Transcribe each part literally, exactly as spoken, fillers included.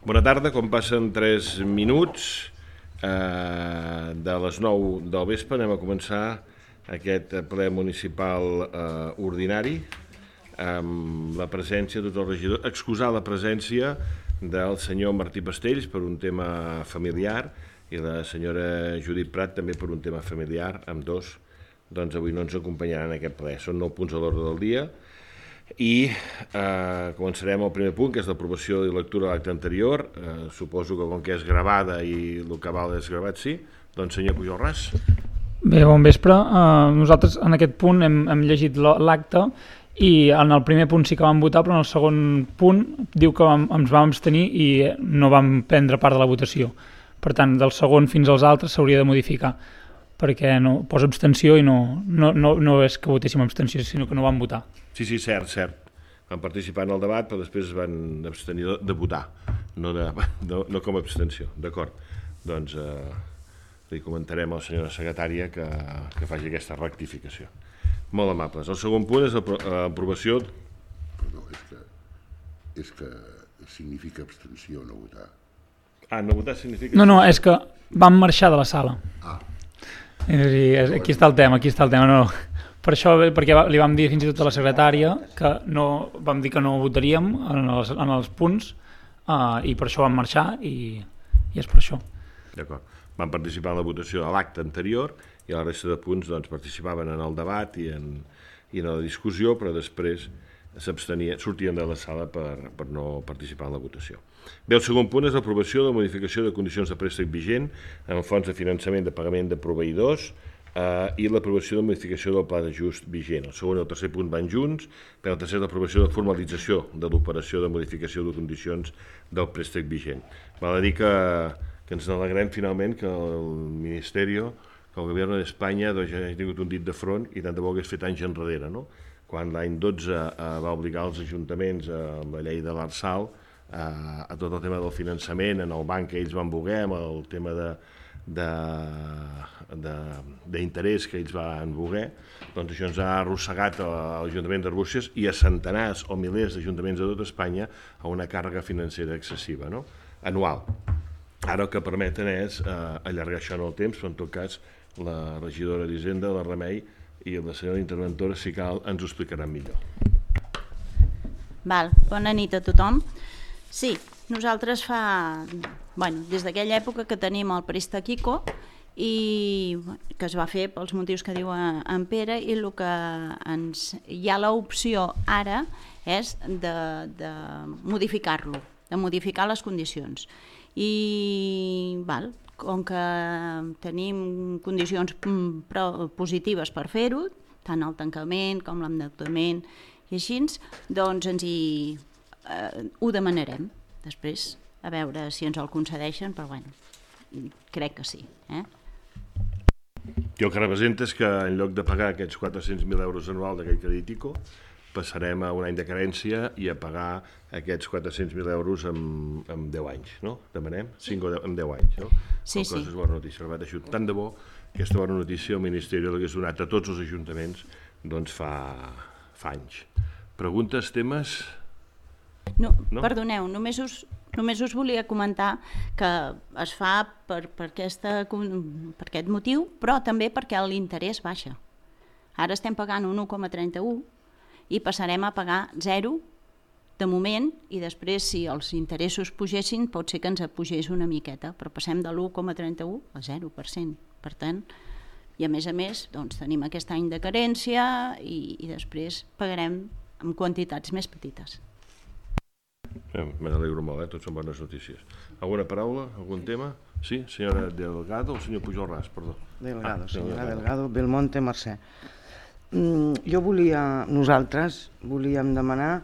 Bona tarda, com passen tres minuts eh, de les nou del vespre anem a començar aquest ple municipal eh, ordinari amb la presència de tots els regidors, excusar la presència del senyor Martí Pastells per un tema familiar i la senyora Judit Prat també per un tema familiar, amb dos doncs avui no ens acompanyaran en aquest ple. Són nou punts a l'ordre del dia i eh, començarem el primer punt, que és l'aprovació i lectura de l'acte anterior. Eh, suposo que com que és gravada i el que val és gravat, sí. Doncs senyor Pujol Ras. Bé, bon vespre. Uh, nosaltres en aquest punt hem, hem llegit l'acte i en el primer punt sí que vam votar, però en el segon punt diu que vam, ens vam abstenir i no vam prendre part de la votació. Per tant, del segon fins als altres s'hauria de modificar, perquè no, posa abstenció i no, no, no, no és que votéssim abstenció, sinó que no vam votar. Sí, sí, cert, cert. Van participar en el debat, però després es van abstenir de, de votar, no, de, no, no com a abstenció. D'acord. Doncs eh, li comentarem a la senyora secretària que, que faci aquesta rectificació. Molt amables. El segon punt és l'aprovació... No, és que, és que significa abstenció no votar. Ah, no votar significa... No, no, és que vam marxar de la sala. Ah. És a dir, aquí està el tema, aquí està el tema, no... Per això, perquè li vam dir fins i tot a la secretària que no, vam dir que no votaríem en els, en els punts uh, i per això vam marxar i, i és per això. D'acord. Van participar en la votació de l'acte anterior i la resta de punts doncs, participaven en el debat i en, i en la discussió, però després s'abstenien, sortien de la sala per, per no participar en la votació. Bé, el segon punt és l'aprovació de la modificació de condicions de préstec vigent en fons de finançament de pagament de proveïdors Uh, i l'aprovació de modificació del pla d'ajust vigent. El segon i el tercer punt van junts, però el tercer és l'aprovació de formalització de l'operació de modificació de condicions del préstec vigent. Val a dir que, que ens alegrem finalment que el Ministeri, que el Govern d'Espanya doncs, ja hagi tingut un dit de front i tant de bo hagués fet anys enrere, no? Quan l'any dotze uh, va obligar els ajuntaments uh, amb la llei de l'Arsal uh, a tot el tema del finançament, en el banc que ells van voler, amb el tema de d'interès que ells van voler, doncs això ens ha arrossegat a l'Ajuntament d'Arbúcies i a centenars o milers d'ajuntaments de tot Espanya a una càrrega financera excessiva, no? Anual. Ara el que permeten és eh, allargar això en el temps, però en tot cas la regidora d'Hisenda, la Remei i la senyora interventora, si cal, ens ho explicaran millor. Val, bona nit a tothom. Sí, nosaltres fa... Bueno, des d'aquella època que tenim el préstec ICO i que es va fer pels motius que diu en Pere i el que ens, hi ha l'opció ara és de, de modificar-lo, de modificar les condicions. I val, com que tenim condicions positives per fer-ho, tant el tancament com l'endeutament i així, doncs ens hi, eh, ho demanarem després. A veure si ens el concedeixen, però bueno, crec que sí. Eh? I el que representa és que en lloc de pagar aquests quatre-cents mil euros anuals d'aquell crèdit ICO, passarem a un any de carència i a pagar aquests quatre-cents mil euros en, en deu anys, no? Demanem? cinc o deu, en deu anys, no? Sí, sí. És bona notícia. Tant de bo aquesta bona notícia el Ministeri l'hagués donat a tots els ajuntaments doncs fa, fa anys. Preguntes, temes? No, no? Perdoneu, només us... Només us volia comentar que es fa per, per, aquesta, per aquest motiu, però també perquè l'interès baixa. Ara estem pagant un u coma trenta-u i passarem a pagar zero de moment i després si els interessos pugessin pot ser que ens pugés una miqueta, però passem de l'u coma trenta-u al zero per cent. Per tant, i a més a més doncs, tenim aquest any de carència i, i després pagarem amb quantitats més petites. Me n'alegro molt, eh? Tots són bones notícies. Alguna paraula? Algun tema? Sí, senyora Delgado o senyor Pujol Ras, perdó. Delgado, ah, senyora Delgado, Belmonte, Mercè. Mm, jo volia, nosaltres volíem demanar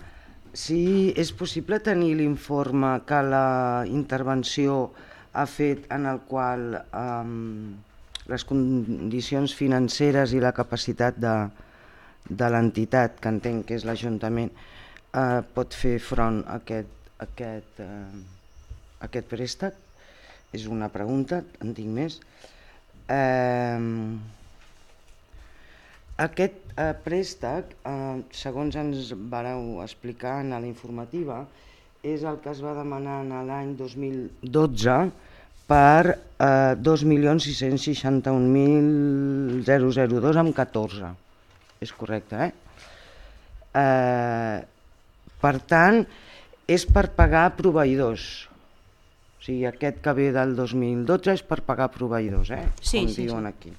si és possible tenir l'informe que la intervenció ha fet en el qual um, les condicions financeres i la capacitat de, de l'entitat, que entenc que és l'Ajuntament, Uh, pot fer front a aquest, aquest, uh, aquest préstec? És una pregunta, en tinc més. Uh, aquest uh, préstec, uh, segons ens vareu explicar en la informativa, és el que es va demanar en l'any dos mil dotze per eh, dos milions sis-cents seixanta-un mil dos amb catorze. És correcte, eh? eh? Per tant, és per pagar proveïdors. O sigui, aquest que ve del dos mil dotze és per pagar proveïdors, eh? Sí, Com sí, diuen sí. aquí.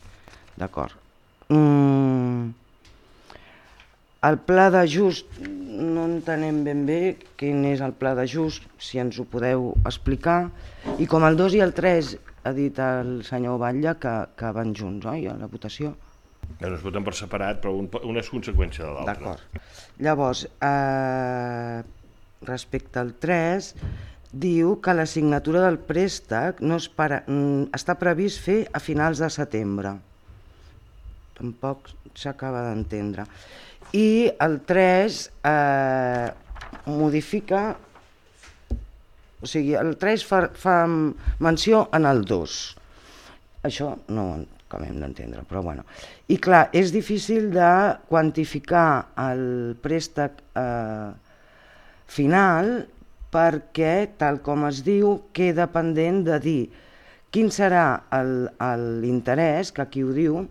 D'acord. Mm. El pla d'ajust, no entenem ben bé quin és el pla d'ajust, si ens ho podeu explicar. I com el dos i el tres ha dit el senyor Batlle que, que van junts, oi, a la votació? No es voten per separat, però un, una és conseqüència de l'altra. D'acord. Llavors, eh, respecte al tres, diu que la signatura del préstec no es para, està previst fer a finals de setembre. Tampoc s'acaba d'entendre. I el tres eh, modifica, o sigui, el tres fa, fa menció en el dos. Això no ho acabem d'entendre, però bueno. I clar, és difícil de quantificar el préstec eh, final perquè, tal com es diu, queda pendent de dir quin serà l'interès, que aquí ho diu,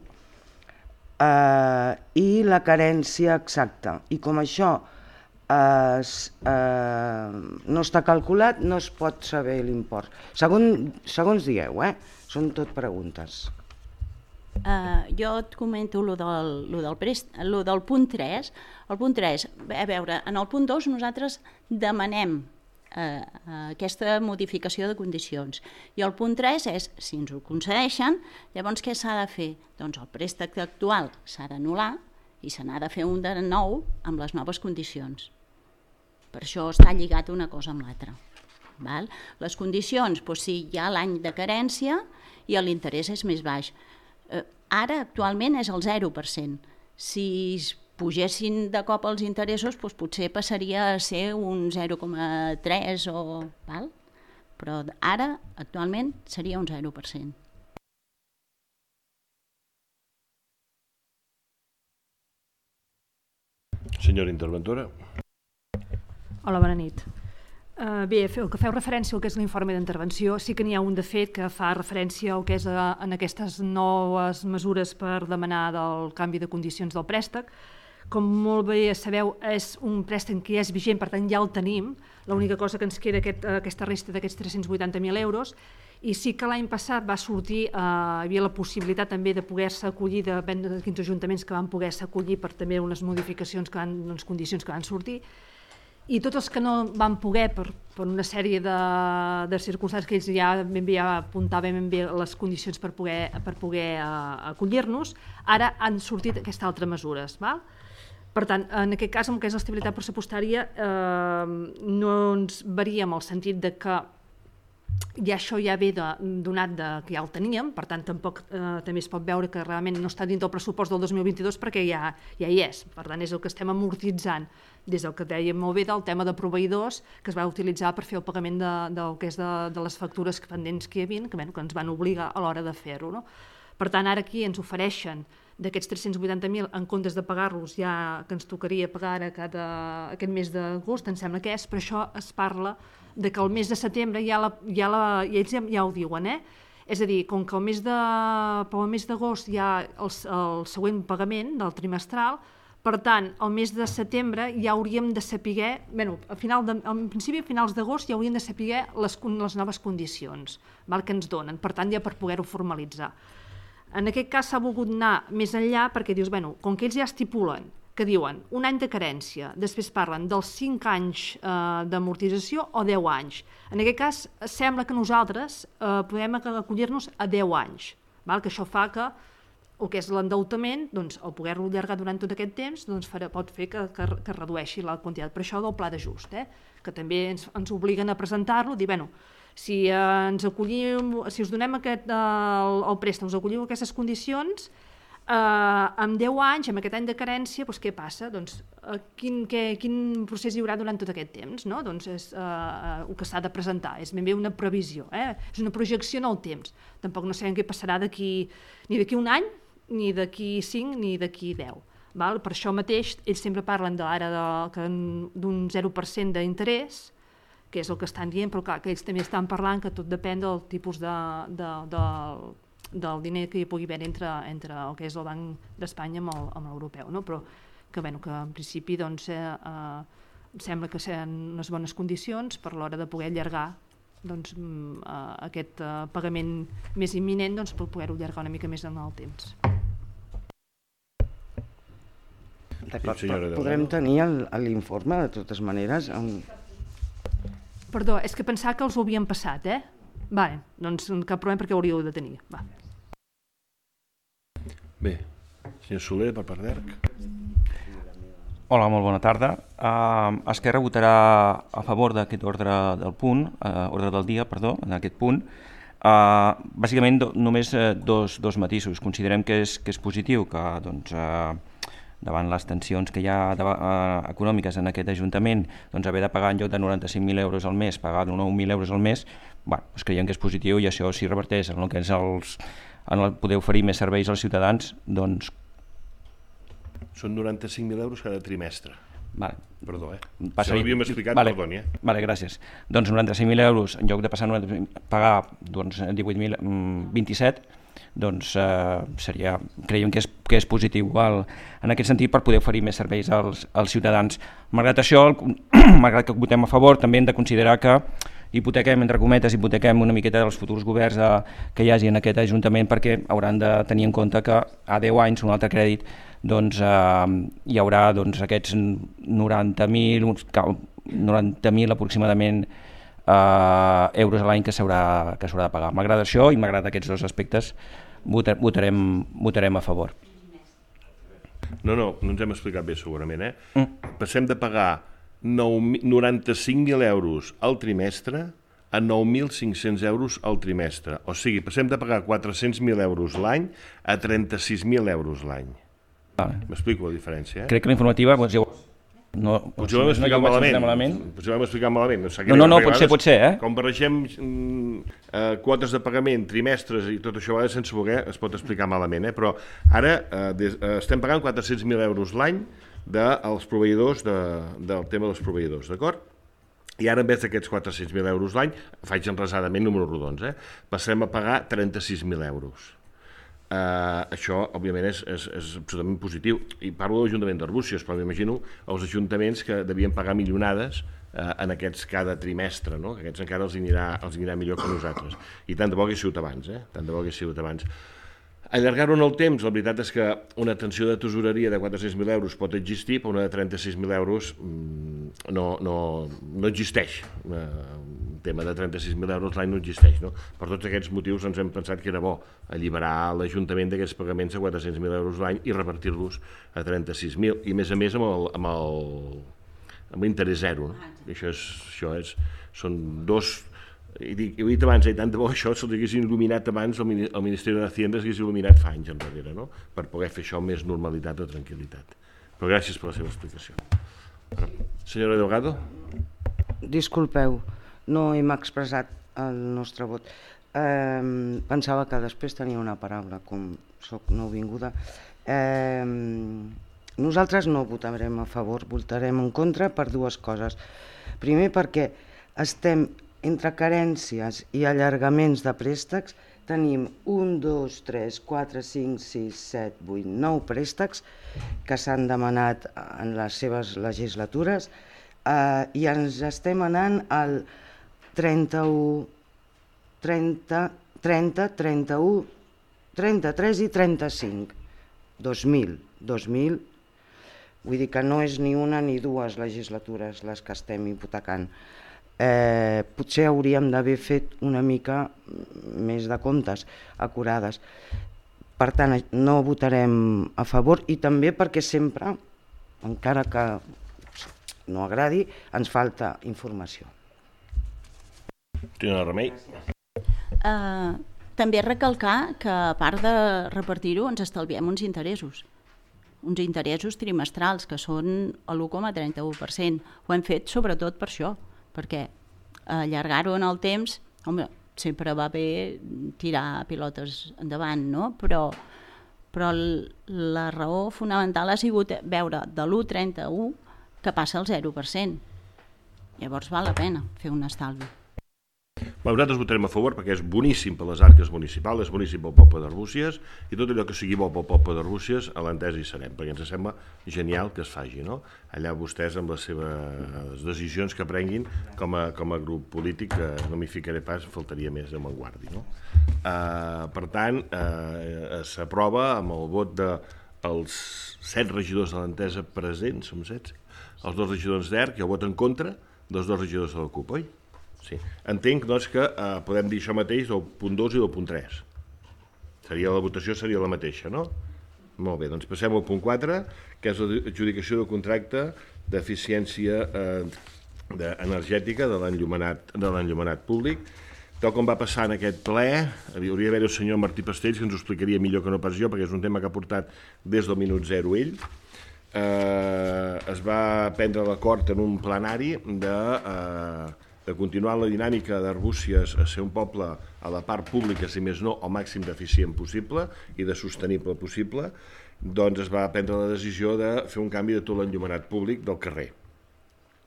Uh, i la carència exacta. I com això uh, uh, no està calculat, no es pot saber l'import. Segon, segons dieu, eh? Són tot preguntes. Uh, jo et comento lo del, lo del, prest, lo del punt tres. El punt tres, a veure, en el punt dos nosaltres demanem Uh, uh, aquesta modificació de condicions. I el punt tres és, si ens ho concedeixen, llavors què s'ha de fer? Doncs el préstec actual s'ha d'anul·lar i se n'ha de fer un de nou amb les noves condicions. Per això està lligat una cosa amb l'altra. Val? Les condicions, doncs, si hi ha l'any de carència i l'interès és més baix. Uh, ara, actualment, és el zero per cent. Si pugessin de cop els interessos, doncs potser passaria a ser un zero coma tres o... Val? Però ara, actualment, seria un zero per cent. Senyora interventora. Hola, bona nit. Uh, bé, el que feu referència al que és l'informe d'intervenció, sí que n'hi ha un de fet que fa referència al que és a, en aquestes noves mesures per demanar del canvi de condicions del préstec. Com molt bé sabeu, és un préstec que ja és vigent, per tant ja el tenim. L'única cosa que ens queda aquest, aquesta resta d'aquests tres-cents vuitanta mil euros. I sí que l'any passat va sortir, eh, hi havia la possibilitat també de poder-se acollir, depèn de quins ajuntaments que van poder-se acollir per també unes modificacions, que van, unes condicions que van sortir. I tots els que no van poder, per, per una sèrie de, de circumstàncies que ells ja ben bé ja apuntaven ben bé les condicions per poder, per poder uh, acollir-nos, ara han sortit aquestes altres mesures. Val? Per tant, en aquest cas, amb el que és l'estabilitat pressupostària, eh, no ens varia en el sentit de que ja això ja ve de, donat de, que ja el teníem, per tant, tampoc eh, també es pot veure que realment no està dins del pressupost del dos mil vint-i-dos perquè ja, ja hi és. Per tant, és el que estem amortitzant des del que dèiem molt bé del tema de proveïdors que es va utilitzar per fer el pagament de, del que és de, de les factures pendents que hi havia, que, bueno, que ens van obligar a l'hora de fer-ho. No? Per tant, ara aquí ens ofereixen d'aquests tres-cents vuitanta mil, en comptes de pagar-los ja que ens tocaria pagar a cada, aquest mes d'agost, em sembla que és, però això es parla de que el mes de setembre ja, la, ja, la, ja ells ja, ja ho diuen, eh? És a dir, com que el mes de, pel mes d'agost hi ha el, el següent pagament del trimestral, per tant, el mes de setembre ja hauríem de saber, bueno, a final de, en principi a finals d'agost ja hauríem de saber les, les noves condicions, val, que ens donen, per tant ja per poder-ho formalitzar. En aquest cas s'ha volgut anar més enllà perquè dius, bueno, com que ells ja estipulen que diuen un any de carència, després parlen dels cinc anys eh, d'amortització o deu anys. En aquest cas sembla que nosaltres eh, podem acollir-nos a deu anys, val? Que això fa que el que és l'endeutament, doncs, el poder-lo allargar durant tot aquest temps, doncs, farà, pot fer que, que, que redueixi la quantitat. Per això del pla d'ajust, eh? Que també ens, ens obliguen a presentar-lo, dir, bueno, si eh, ens acollim, si us donem aquest, eh, el, el préstec, us acolliu aquestes condicions, eh, amb deu anys, amb aquest any de carència, doncs què passa? Doncs, eh, quin, què, quin procés hi haurà durant tot aquest temps? No? Doncs és eh, el que s'ha de presentar, és ben bé una previsió, eh? És una projecció en el temps. Tampoc no sabem què passarà d'aquí, ni d'aquí un any, ni d'aquí cinc, ni d'aquí deu. Val? Per això mateix, ells sempre parlen ara d'un zero per cent d'interès, que és el que estan dient, però clar, que ells també estan parlant que tot depèn del tipus de, de, de, del diner que hi pugui haver entre, entre el que és el Banc d'Espanya amb el, amb l'europeu, no? Però que, bueno, que en principi doncs, eh, eh, sembla que seran unes bones condicions per l'hora de poder allargar doncs, eh, aquest eh, pagament més imminent doncs, per poder-ho allargar una mica més en el temps. D'acord, però podrem tenir l'informe de totes maneres? Amb... Perdó, és que pensava que els ho havien passat, eh? Vale, doncs cap problema perquè ho hauríeu de tenir. Va. Bé, senyor Soler, per part d'E R C. Hola, molt bona tarda. Uh, Esquerra votarà a favor d'aquest ordre del punt, uh, ordre del dia, perdó, en aquest punt. Uh, bàsicament do, només uh, dos, dos matisos. Considerem que és, que és positiu que doncs, uh, davant les tensions que hi ha de, uh, econòmiques en aquest Ajuntament, doncs haver de pagar en lloc de noranta-cinc mil euros al mes, pagar nou mil euros al mes, bueno, doncs creiem que és positiu i això si reverteix en el que és els, en el poder oferir més serveis als ciutadans, doncs... Són noranta-cinc mil euros cada trimestre. Vale. Perdó, eh? Passaria... Si l'havíem explicat, vale. Perdoni, eh? Vale, gràcies. Doncs noranta-cinc mil euros, en lloc de passar a pagar doncs, divuit mil vint-i-set, doncs eh, seria, creiem que és, que és positiu el, en aquest sentit per poder oferir més serveis als, als ciutadans. Malgrat això, el, malgrat que votem a favor, també hem de considerar que hipotequem, entre cometes, hipotequem una miqueta dels futurs governs eh, que hi hagi en aquest Ajuntament perquè hauran de tenir en compte que a deu anys, un altre crèdit, doncs eh, hi haurà doncs, aquests noranta mil noranta mil aproximadament eh, euros a l'any que s'haurà que s'haurà de pagar. M'agrada això i m'agrada aquests dos aspectes, votarem, votarem a favor. No, no, no ens hem explicat bé segurament, eh? Mm. Passem de pagar noranta-cinc mil euros al trimestre a nou mil cinc-cents euros al trimestre. O sigui, passem de pagar quatre-cents mil euros l'any a trenta-sis mil euros l'any. Vale. M'explico la diferència, eh? Crec que la informativa... Doncs, jo... no, potser ho vam explicar no malament. malament. Potser ho vam explicar malament. No, no, no, no pot ser, pot ser, eh? Com barregem mm, eh, quotes de pagament, trimestres i tot això, a vegades sense voler es pot explicar malament, eh? Però ara eh, des, eh, estem pagant quatre-cents mil euros l'any dels proveïdors, de, del tema dels proveïdors, d'acord? I ara, en vez d'aquests quatre-cents mil euros l'any, faig enresadament números rodons, eh? Passem a pagar trenta-sis mil euros. Uh, això, òbviament, és, és, és absolutament positiu. I parlo de l'Ajuntament d'Arbúcies, però m'imagino els ajuntaments que devien pagar milionades uh, en aquests cada trimestre, no? Que aquests encara els anirà, els anirà millor que nosaltres. I tant de bo hagués sigut abans, eh? Tant de bo hagués sigut abans. Allargar-ho en el temps, la veritat és que una tensió de tesoreria de quatre-cents mil euros pot existir, però una de trenta-sis mil euros mmm, no, no, no existeix. Un tema de trenta-sis mil euros l'any no existeix, no? Per tots aquests motius ens hem pensat que era bo alliberar l'Ajuntament d'aquests pagaments a quatre-cents mil euros l'any i repartir-los a trenta-sis mil, i a més a més amb el, amb el, amb l'interès zero, no? I això és, això és, són dos... I dic, ho he dit abans, eh, tant de bo això se'ls haguessin il·luminat abans, el Ministeri de Hacienda s'hagués il·luminat fa anys enrere, no? Per poder fer això amb més normalitat o tranquil·litat. Però gràcies per la seva explicació. Senyora Delgado? Disculpeu, no hem expressat el nostre vot. Eh, pensava que després tenia una paraula, com soc nouvinguda. Eh, nosaltres no votarem a favor, votarem en contra per dues coses. Primer perquè estem entre carències i allargaments de préstecs, tenim un, dos, tres, quatre, cinc, sis, set, vuit, nou préstecs que s'han demanat en les seves legislatures eh, i ens estem anant al trenta-u, trenta, trenta, trenta-u, trenta-tres i trenta-cinc. dos mil, dos mil, vull dir que no és ni una ni dues legislatures les que estem hipotecant. Eh, potser hauríem d'haver fet una mica més de comptes acurades. Per tant, no votarem a favor i també perquè sempre, encara que no agradi, ens falta informació. Tenen el remei? Uh, també recalcar que a part de repartir-ho ens estalviem uns interessos. Uns interessos trimestrals que són l'u coma trenta-u per cent. Ho hem fet sobretot per això, perquè allargar-ho en el temps, home, sempre va bé tirar pilotes endavant, no? Però, però la raó fonamental ha sigut veure de l'u coma trenta-u que passa al zero per cent. Llavors val la pena fer un estalvi. Bé, nosaltres votarem a favor perquè és boníssim per les arques municipals, és boníssim pel poble d'Arbúcies, i tot allò que sigui bo pel poble d'Arbúcies a l'Entesa hi serem, perquè ens sembla genial que es faci, no? Allà vostès amb les seves decisions que prenguin com a, com a grup polític, que no m'hi ficaré pas, faltaria més de Manguardi, no? Uh, per tant, uh, s'aprova amb el vot dels set regidors de l'Entesa presents, som set, els dos regidors d'E R C i el vot en contra dels dos regidors de la CUP, oi? Sí. Entenc, doncs, que eh, podem dir això mateix del punt dos i del punt tres. Seria, la votació seria la mateixa, no? Molt bé, doncs passem al punt quatre, que és l'adjudicació del contracte d'eficiència eh, de, energètica de l'enllumenat de l'enllumenat públic. Tal com va passar en aquest ple, hauria d'haver el senyor Martí Pastells, que ens ho explicaria millor que no pas jo, perquè és un tema que ha portat des del minut zero ell. Eh, es va prendre l'acord en un plenari de... Eh, de continuar la dinàmica d'Arbúcies a ser un poble a la part pública, si més no, al màxim d'eficient possible i de sostenible possible, doncs es va prendre la decisió de fer un canvi de tot l'enllumenat públic del carrer.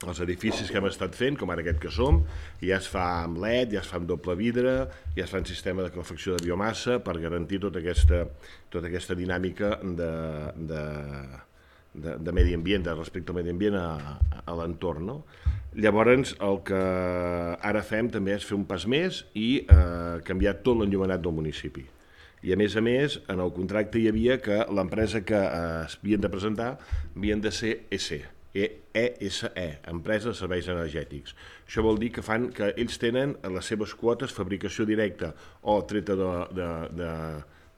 Els edificis que hem estat fent, com ara aquest que som, ja es fa amb L E D, ja es fa amb doble vidre, ja es fa en sistema de calefacció de biomassa per garantir tota aquesta, tota aquesta dinàmica de, de, de, de medi ambient, de respecte al medi ambient a, a l'entorn, no? Llavors, el que ara fem també és fer un pas més i eh, canviar tot l'enllumenat del municipi. I a més a més, en el contracte hi havia que l'empresa que eh, es havien de presentar havien de ser E S E, E S E, Empresa de Serveis Energètics. Això vol dir que fan que ells tenen les seves quotes fabricació directa o treta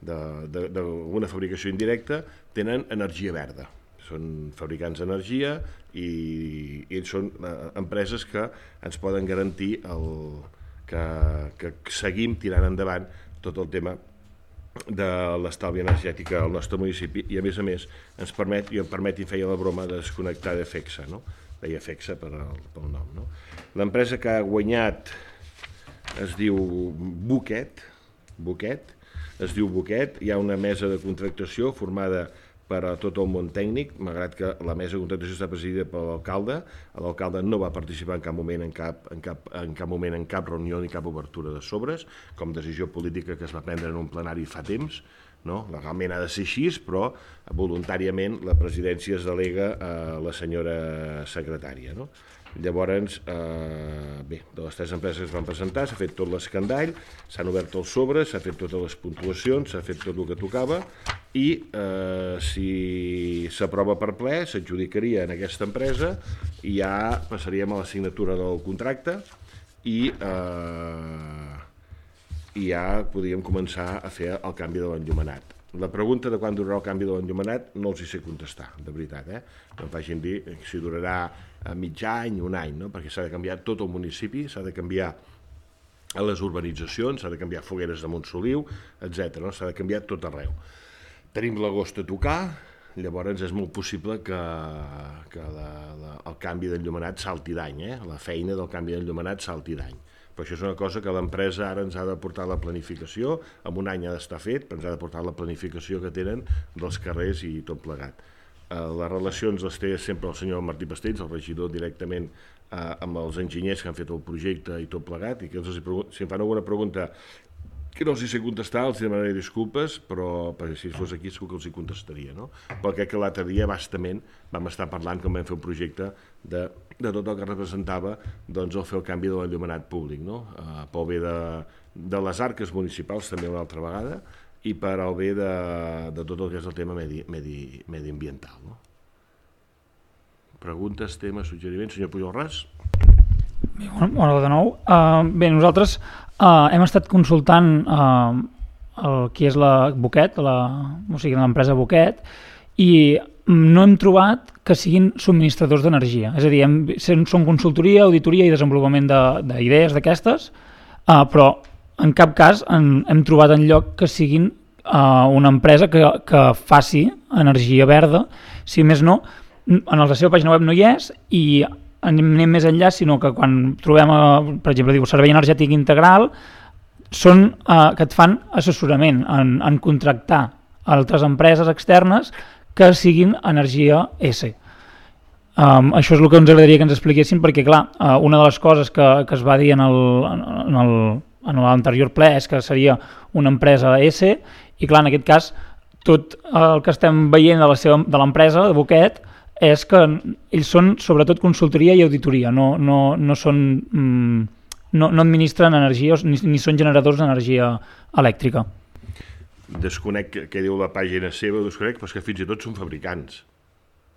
d'una fabricació indirecta, tenen energia verda. Són fabricants d'energia i, i ells són eh, empreses que ens poden garantir el, que, que seguim tirant endavant tot el tema de l'estalvi energètica al nostre municipi i a més a més ens permet, i em permet i feia la broma de desconnectar de FEXA, no? Deia FEXA per el, pel nom, no? L'empresa que ha guanyat es diu Buquet, Buquet, es diu Buquet, hi ha una mesa de contractació formada per a tot el món tècnic, malgrat que la mesa de contractació està presidida per l'alcalde. L'alcalde no va participar en cap moment en cap, en, cap, en cap moment en cap reunió ni cap obertura de sobres, com decisió política que es va prendre en un plenari fa temps, no? Legalment ha de ser així, però voluntàriament la presidència es delega a la senyora secretària, no? Llavors, eh, bé, de les tres empreses que es van presentar, s'ha fet tot l'escandall, s'han obert els sobres, s'ha fet totes les puntuacions, s'ha fet tot el que tocava i eh, si s'aprova per ple, s'adjudicaria en aquesta empresa i ja passaríem a la signatura del contracte i, eh, i ja podríem començar a fer el canvi de l'enllumenat. La pregunta de quan durarà el canvi de l'enllumenat no els hi sé contestar, de veritat, eh? No em facin dir si durarà mig any, un any, no? Perquè s'ha de canviar tot el municipi, s'ha de canviar a les urbanitzacions, s'ha de canviar fogueres de Montsoliu, etcètera, no? S'ha de canviar tot arreu. Tenim l'agost a tocar, llavors és molt possible que, que la, la, el canvi d'enllumenat salti d'any, eh? La feina del canvi d'enllumenat salti d'any. Però això és una cosa que l'empresa ara ens ha de portar la planificació, en un any ha d'estar fet, però ens ha de portar la planificació que tenen dels carrers i tot plegat. Eh, les relacions les té sempre el senyor Martí Pastells, el regidor directament eh, amb els enginyers que han fet el projecte i tot plegat, i que els, si em fan alguna pregunta que no els hi sé contestar, els demanaré disculpes, però perquè si fos aquí segur que els hi contestaria, no? Però crec que l'altre dia bastament vam estar parlant quan vam fer un projecte de, de tot el que representava doncs, el fer el canvi de l'enllumenat públic, no? Uh, pel bé de, de les arques municipals també una altra vegada i per al bé de, de tot el que és el tema medi, medi, mediambiental, no? Preguntes, temes, suggeriments? Senyor Pujol Ras? Bé, bueno, de nou. Uh, bé, nosaltres uh, hem estat consultant uh, el qui és la Buquet, la, o sigui, l'empresa Buquet, i no hem trobat que siguin subministradors d'energia. És a dir, hem, són consultoria, auditoria i desenvolupament d'idees d'aquestes, uh, però en cap cas en, hem trobat enlloc que siguin uh, una empresa que, que faci energia verda. Si més no, en la seva pàgina web no hi és i anem més enllà, sinó que quan trobem, per exemple, diu servei energètic integral, són eh, que et fan assessorament en, en contractar altres empreses externes que siguin energia S. Um, això és el que ens agradaria que ens expliquessin, perquè clar, uh, una de les coses que, que es va dir en el, en el, en l'anterior ple és que seria una empresa S, i clar, en aquest cas tot el que estem veient de la seva, de l'empresa, de Boquet, és que ells són sobretot consultoria i auditoria, no, no, no són mm, no, no administren energia ni, ni són generadors d'energia elèctrica. Desconec què diu la pàgina seva, desconec, però és que fins i tot són fabricants.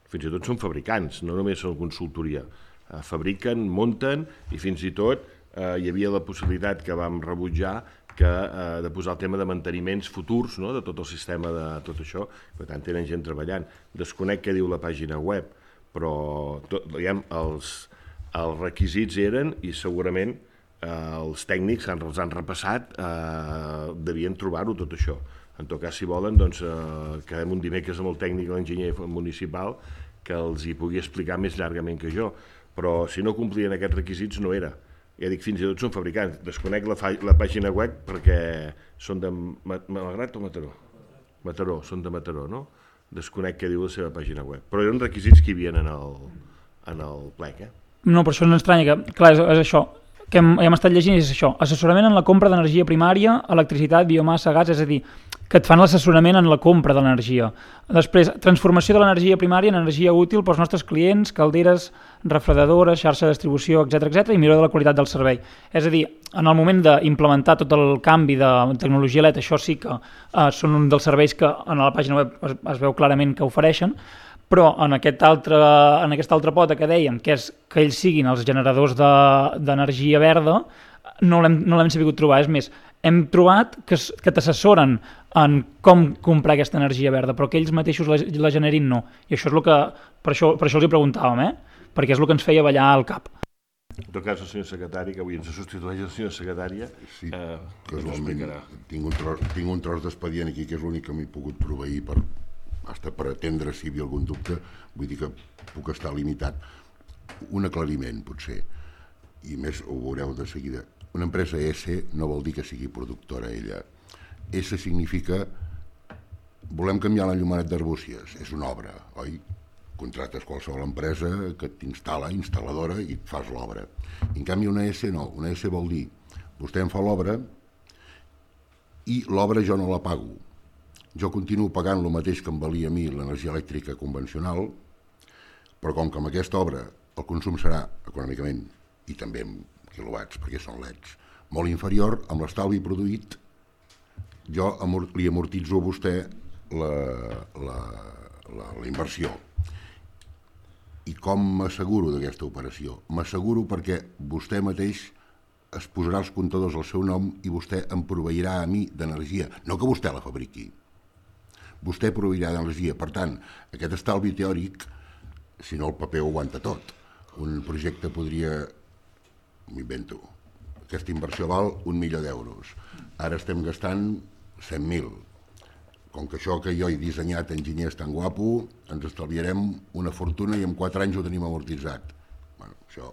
Fins i tot són fabricants, no només són consultoria. Eh, fabriquen, munten, i fins i tot eh, hi havia la possibilitat que vam rebutjar que, eh, de posar el tema de manteniments futurs, no?, de tot el sistema de tot això, per tant tenen gent treballant. Desconec què diu la pàgina web, però tot, diguem, els, els requisits eren, i segurament eh, els tècnics han, els han repassat, eh, devien trobar-ho tot això. En tot cas, si volen, doncs, eh, quedem un dimecres amb el tècnic, l'enginyer municipal, que els hi pugui explicar més llargament que jo. Però si no complien aquests requisits no era. Ja dic, fins i tot són fabricants. Desconec la, la pàgina web perquè són de Malgrat o Mataró? Mataró, són de Mataró, no? Desconec què diu la seva pàgina web. Però eren requisits que hi havia en el, en el plec, eh? No, per això no estranya que, clar, és, és això, que hem, hem estat llegint, és això, assessorament en la compra d'energia primària, electricitat, biomassa, gas, és a dir, que et fan l'assessorament en la compra de l'energia. Després, transformació de l'energia primària en energia útil pels nostres clients, calderes, refredadores, xarxa de distribució, etcètera, etcètera, i millora de la qualitat del servei. És a dir, en el moment d'implementar tot el canvi de tecnologia L E D, això sí que eh, són un dels serveis que en la pàgina web es, es veu clarament que ofereixen, però en, aquest altre, en aquesta altra pota que dèiem, que és que ells siguin els generadors d'energia de, verda, no l'hem no l'hem sabut trobar. És més, hem trobat que, que t'assessoren en com comprar aquesta energia verda, però que ells mateixos la, la generin no. I això és el que, per això, per això els hi preguntàvem, eh? Perquè és el que ens feia ballar al cap. En tot cas, el senyor secretari, que avui ens substitueix el senyor secretària, sí, eh, casualment tinc un tros, tinc un tros d'expedient aquí, que és l'únic que m'he pogut proveir per, hasta per atendre si hi havia algun dubte, vull dir que puc estar limitat. Un aclariment, potser, i més ho veureu de seguida. Una empresa S no vol dir que sigui productora ella. S significa volem canviar l'enllumenat d'Arbúcies, és una obra, oi? Contractes qualsevol empresa que t'instal·la, instal·ladora, i et fas l'obra. En canvi una S no, una S vol dir vostè em fa l'obra i l'obra jo no la pago. Jo continuo pagant el mateix que em valia a mi l'energia elèctrica convencional, però com que amb aquesta obra el consum serà econòmicament, i també en quilowatts, perquè són L E Ds, molt inferior, amb l'estalvi produït, jo amor, li amortitzo a vostè la, la, la, la inversió. I com m'asseguro d'aquesta operació? M'asseguro perquè vostè mateix es posarà els comptadors al seu nom i vostè em proveirà a mi d'energia, no que vostè la fabriqui. Vostè proveirà d'energia. Per tant, aquest estalvi teòric, si no el paper ho aguanta tot. Un projecte podria, m'invento, aquesta inversió val un milió d'euros. Ara estem gastant cent mil. Com que això que jo he dissenyat enginyer és tan guapo, ens estalviarem una fortuna i en quatre anys ho tenim amortitzat. Bueno, això,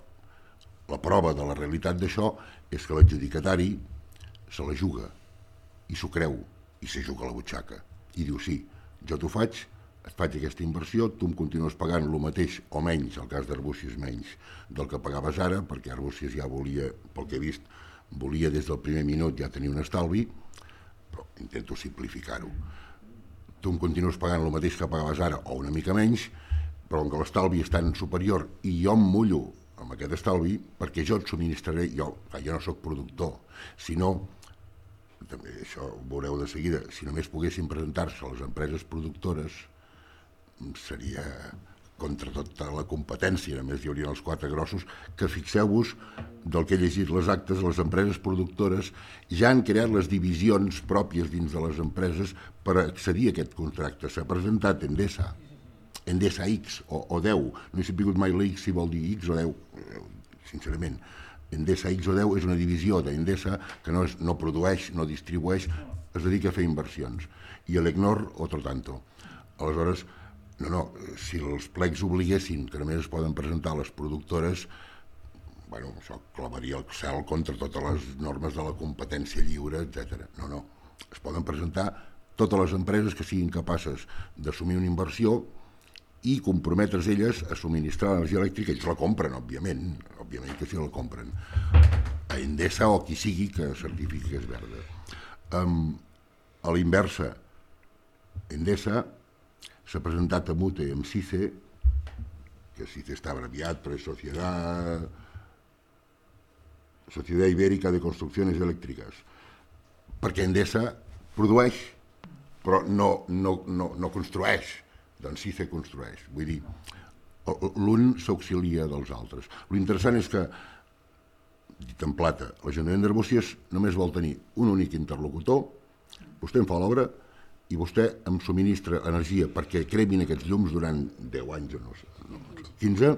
la prova de la realitat d'això és que l'adjudicatari se la juga i s'ho creu i se juga a la butxaca. I diu, sí, jo t'ho faig, et faig aquesta inversió, tu em continues pagant el mateix o menys, el cas d'Arbúcies menys, del que pagaves ara, perquè Arbúcies ja volia, pel que he vist, volia des del primer minut ja tenir un estalvi, però intento simplificar-ho. Tu em continues pagant el mateix que pagaves ara o una mica menys, però com que l'estalvi és tan superior i jo em mullo amb aquest estalvi perquè jo et subministraré, jo, jo no sóc productor, si no, també això ho veureu de seguida, si només poguessin presentar-se a les empreses productores seria contra tota la competència, només hi haurien els quatre grossos, que fixeu-vos del que he llegit les actes, les empreses productores ja han creat les divisions pròpies dins de les empreses per accedir a aquest contracte. S'ha presentat Endesa, Endesa X o, o deu, no he sabut mai la X si vol dir X o deu, sincerament. Endesa X o deu és una divisió d'Endesa que no, és, no produeix, no distribueix, es dedica a fer inversions. I l'Ecnor, otro tanto. Aleshores, no, no, si els plecs obliguessin que només es poden presentar les productores, bueno, això clavaria el cel contra totes les normes de la competència lliure, etcètera. No, no, es poden presentar totes les empreses que siguin capaces d'assumir una inversió i comprometre's elles a subministrar l'energia elèctrica. Ells la compren, òbviament, òbviament que sí la compren, a Endesa o qui sigui que certifiqui que és verda. Um, a l'inversa, Endesa s'ha presentat a Mute amb SICE, que SICE està abreviat per Sociedad, Sociedad Ibérica de Construcciones Elèctriques, perquè Endesa produeix, però no, no, no, no construeix, doncs SICE construeix. Vull dir, l'un s'auxilia dels altres. L'interessant és que, dit en plata, l'Ajuntament d'Arbúcies només vol tenir un únic interlocutor, vostè em fa l'obra i vostè em subministra energia perquè cremin aquests llums durant deu anys o no sé, quinze,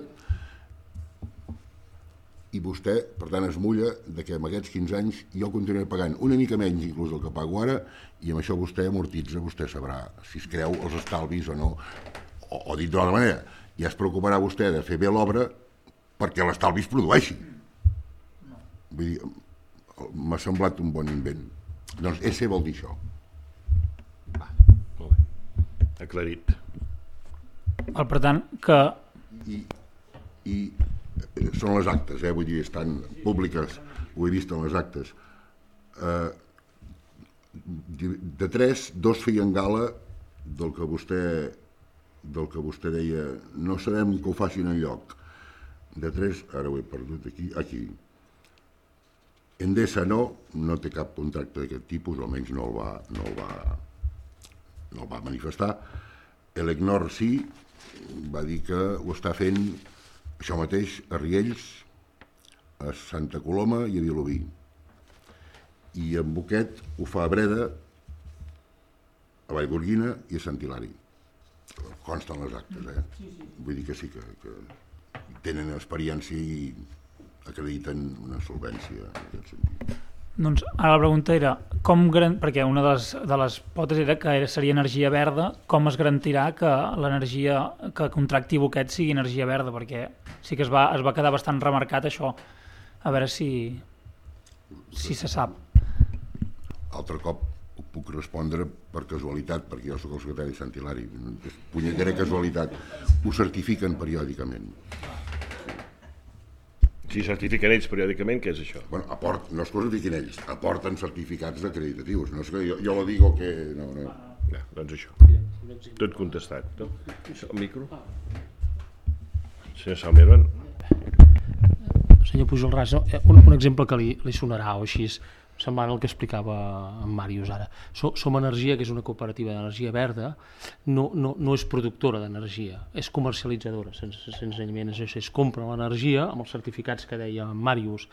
i vostè, per tant, es mulla de que en aquests quinze anys jo continuaré pagant una mica menys inclús del que pago ara i amb això vostè amortitza, vostè sabrà si es creu els estalvis o no, o, o dit d'una altra manera, ja es preocuparà vostè de fer bé l'obra perquè l'estalvi es produeixi. Vull dir, m'ha semblat un bon invent. Doncs E S E vol dir això. Va, molt bé. Aclarit. El, per tant, que... I, i són les actes, eh? Vull dir, estan públiques, ho he vist en les actes. Eh, de tres, dos feien gala del que vostè del que vostè deia, no sabem que ho facin enlloc. De tres, ara ho he perdut aquí, aquí. Endesa no, no té cap contracte d'aquest tipus, almenys no el va, no el va, no el va manifestar. Elecnor sí, va dir que ho està fent això mateix a Riells, a Santa Coloma i a Vilobí. I en Boquet ho fa a Breda, a Vallgorguina i a Sant Hilari. Consten les actes, eh? Vull dir que sí, que, que tenen experiència i acrediten una solvència en aquest sentit. Doncs ara la pregunta era, com garan... perquè una de les, de les potes era que era, seria energia verda, com es garantirà que l'energia que contracti Boquet sigui energia verda? Perquè sí que es va, es va quedar bastant remarcat això. A veure si, si se sap. Altre cop ho puc respondre per casualitat, perquè jo sóc el secretari de Sant Hilari. És punyetera casualitat. Ho certifiquen periòdicament. Si certifiquen ells periòdicament, què és això? Bueno, aport, no es certifiquen ells, aporten certificats acreditatius. No és que jo, jo lo digo que... No, no. Ja, doncs això. Tot contestat. No? El micro? Senyor Salmervan. Senyor Pujol Ras, un, un exemple que li, li sonarà o així, semblant al que explicava en Màrius ara. So, Som Energia, que és una cooperativa d'energia verda, no, no, no és productora d'energia, és comercialitzadora, sense, senzillament és això, es compra l'energia amb els certificats que deia en Màrius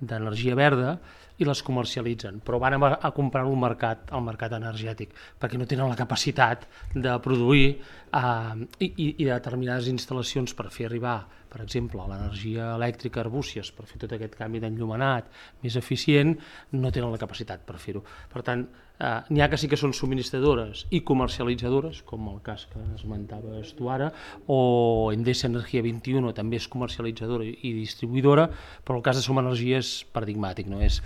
d'energia verda i les comercialitzen, però van a, a comprar-ho al mercat, al mercat energètic, perquè no tenen la capacitat de produir eh, i, i, i determinades instal·lacions per fer arribar, per exemple, l'energia elèctrica a Arbúcies, per fer tot aquest canvi d'enllumenat més eficient, no tenen la capacitat per fer-ho. Per tant, eh, n'hi ha que sí que són subministradores i comercialitzadores, com el cas que esmentaves tu ara, o Endesa Energia vint i u també és comercialitzadora i distribuïdora, però el cas de Som Energia és paradigmàtic, no? És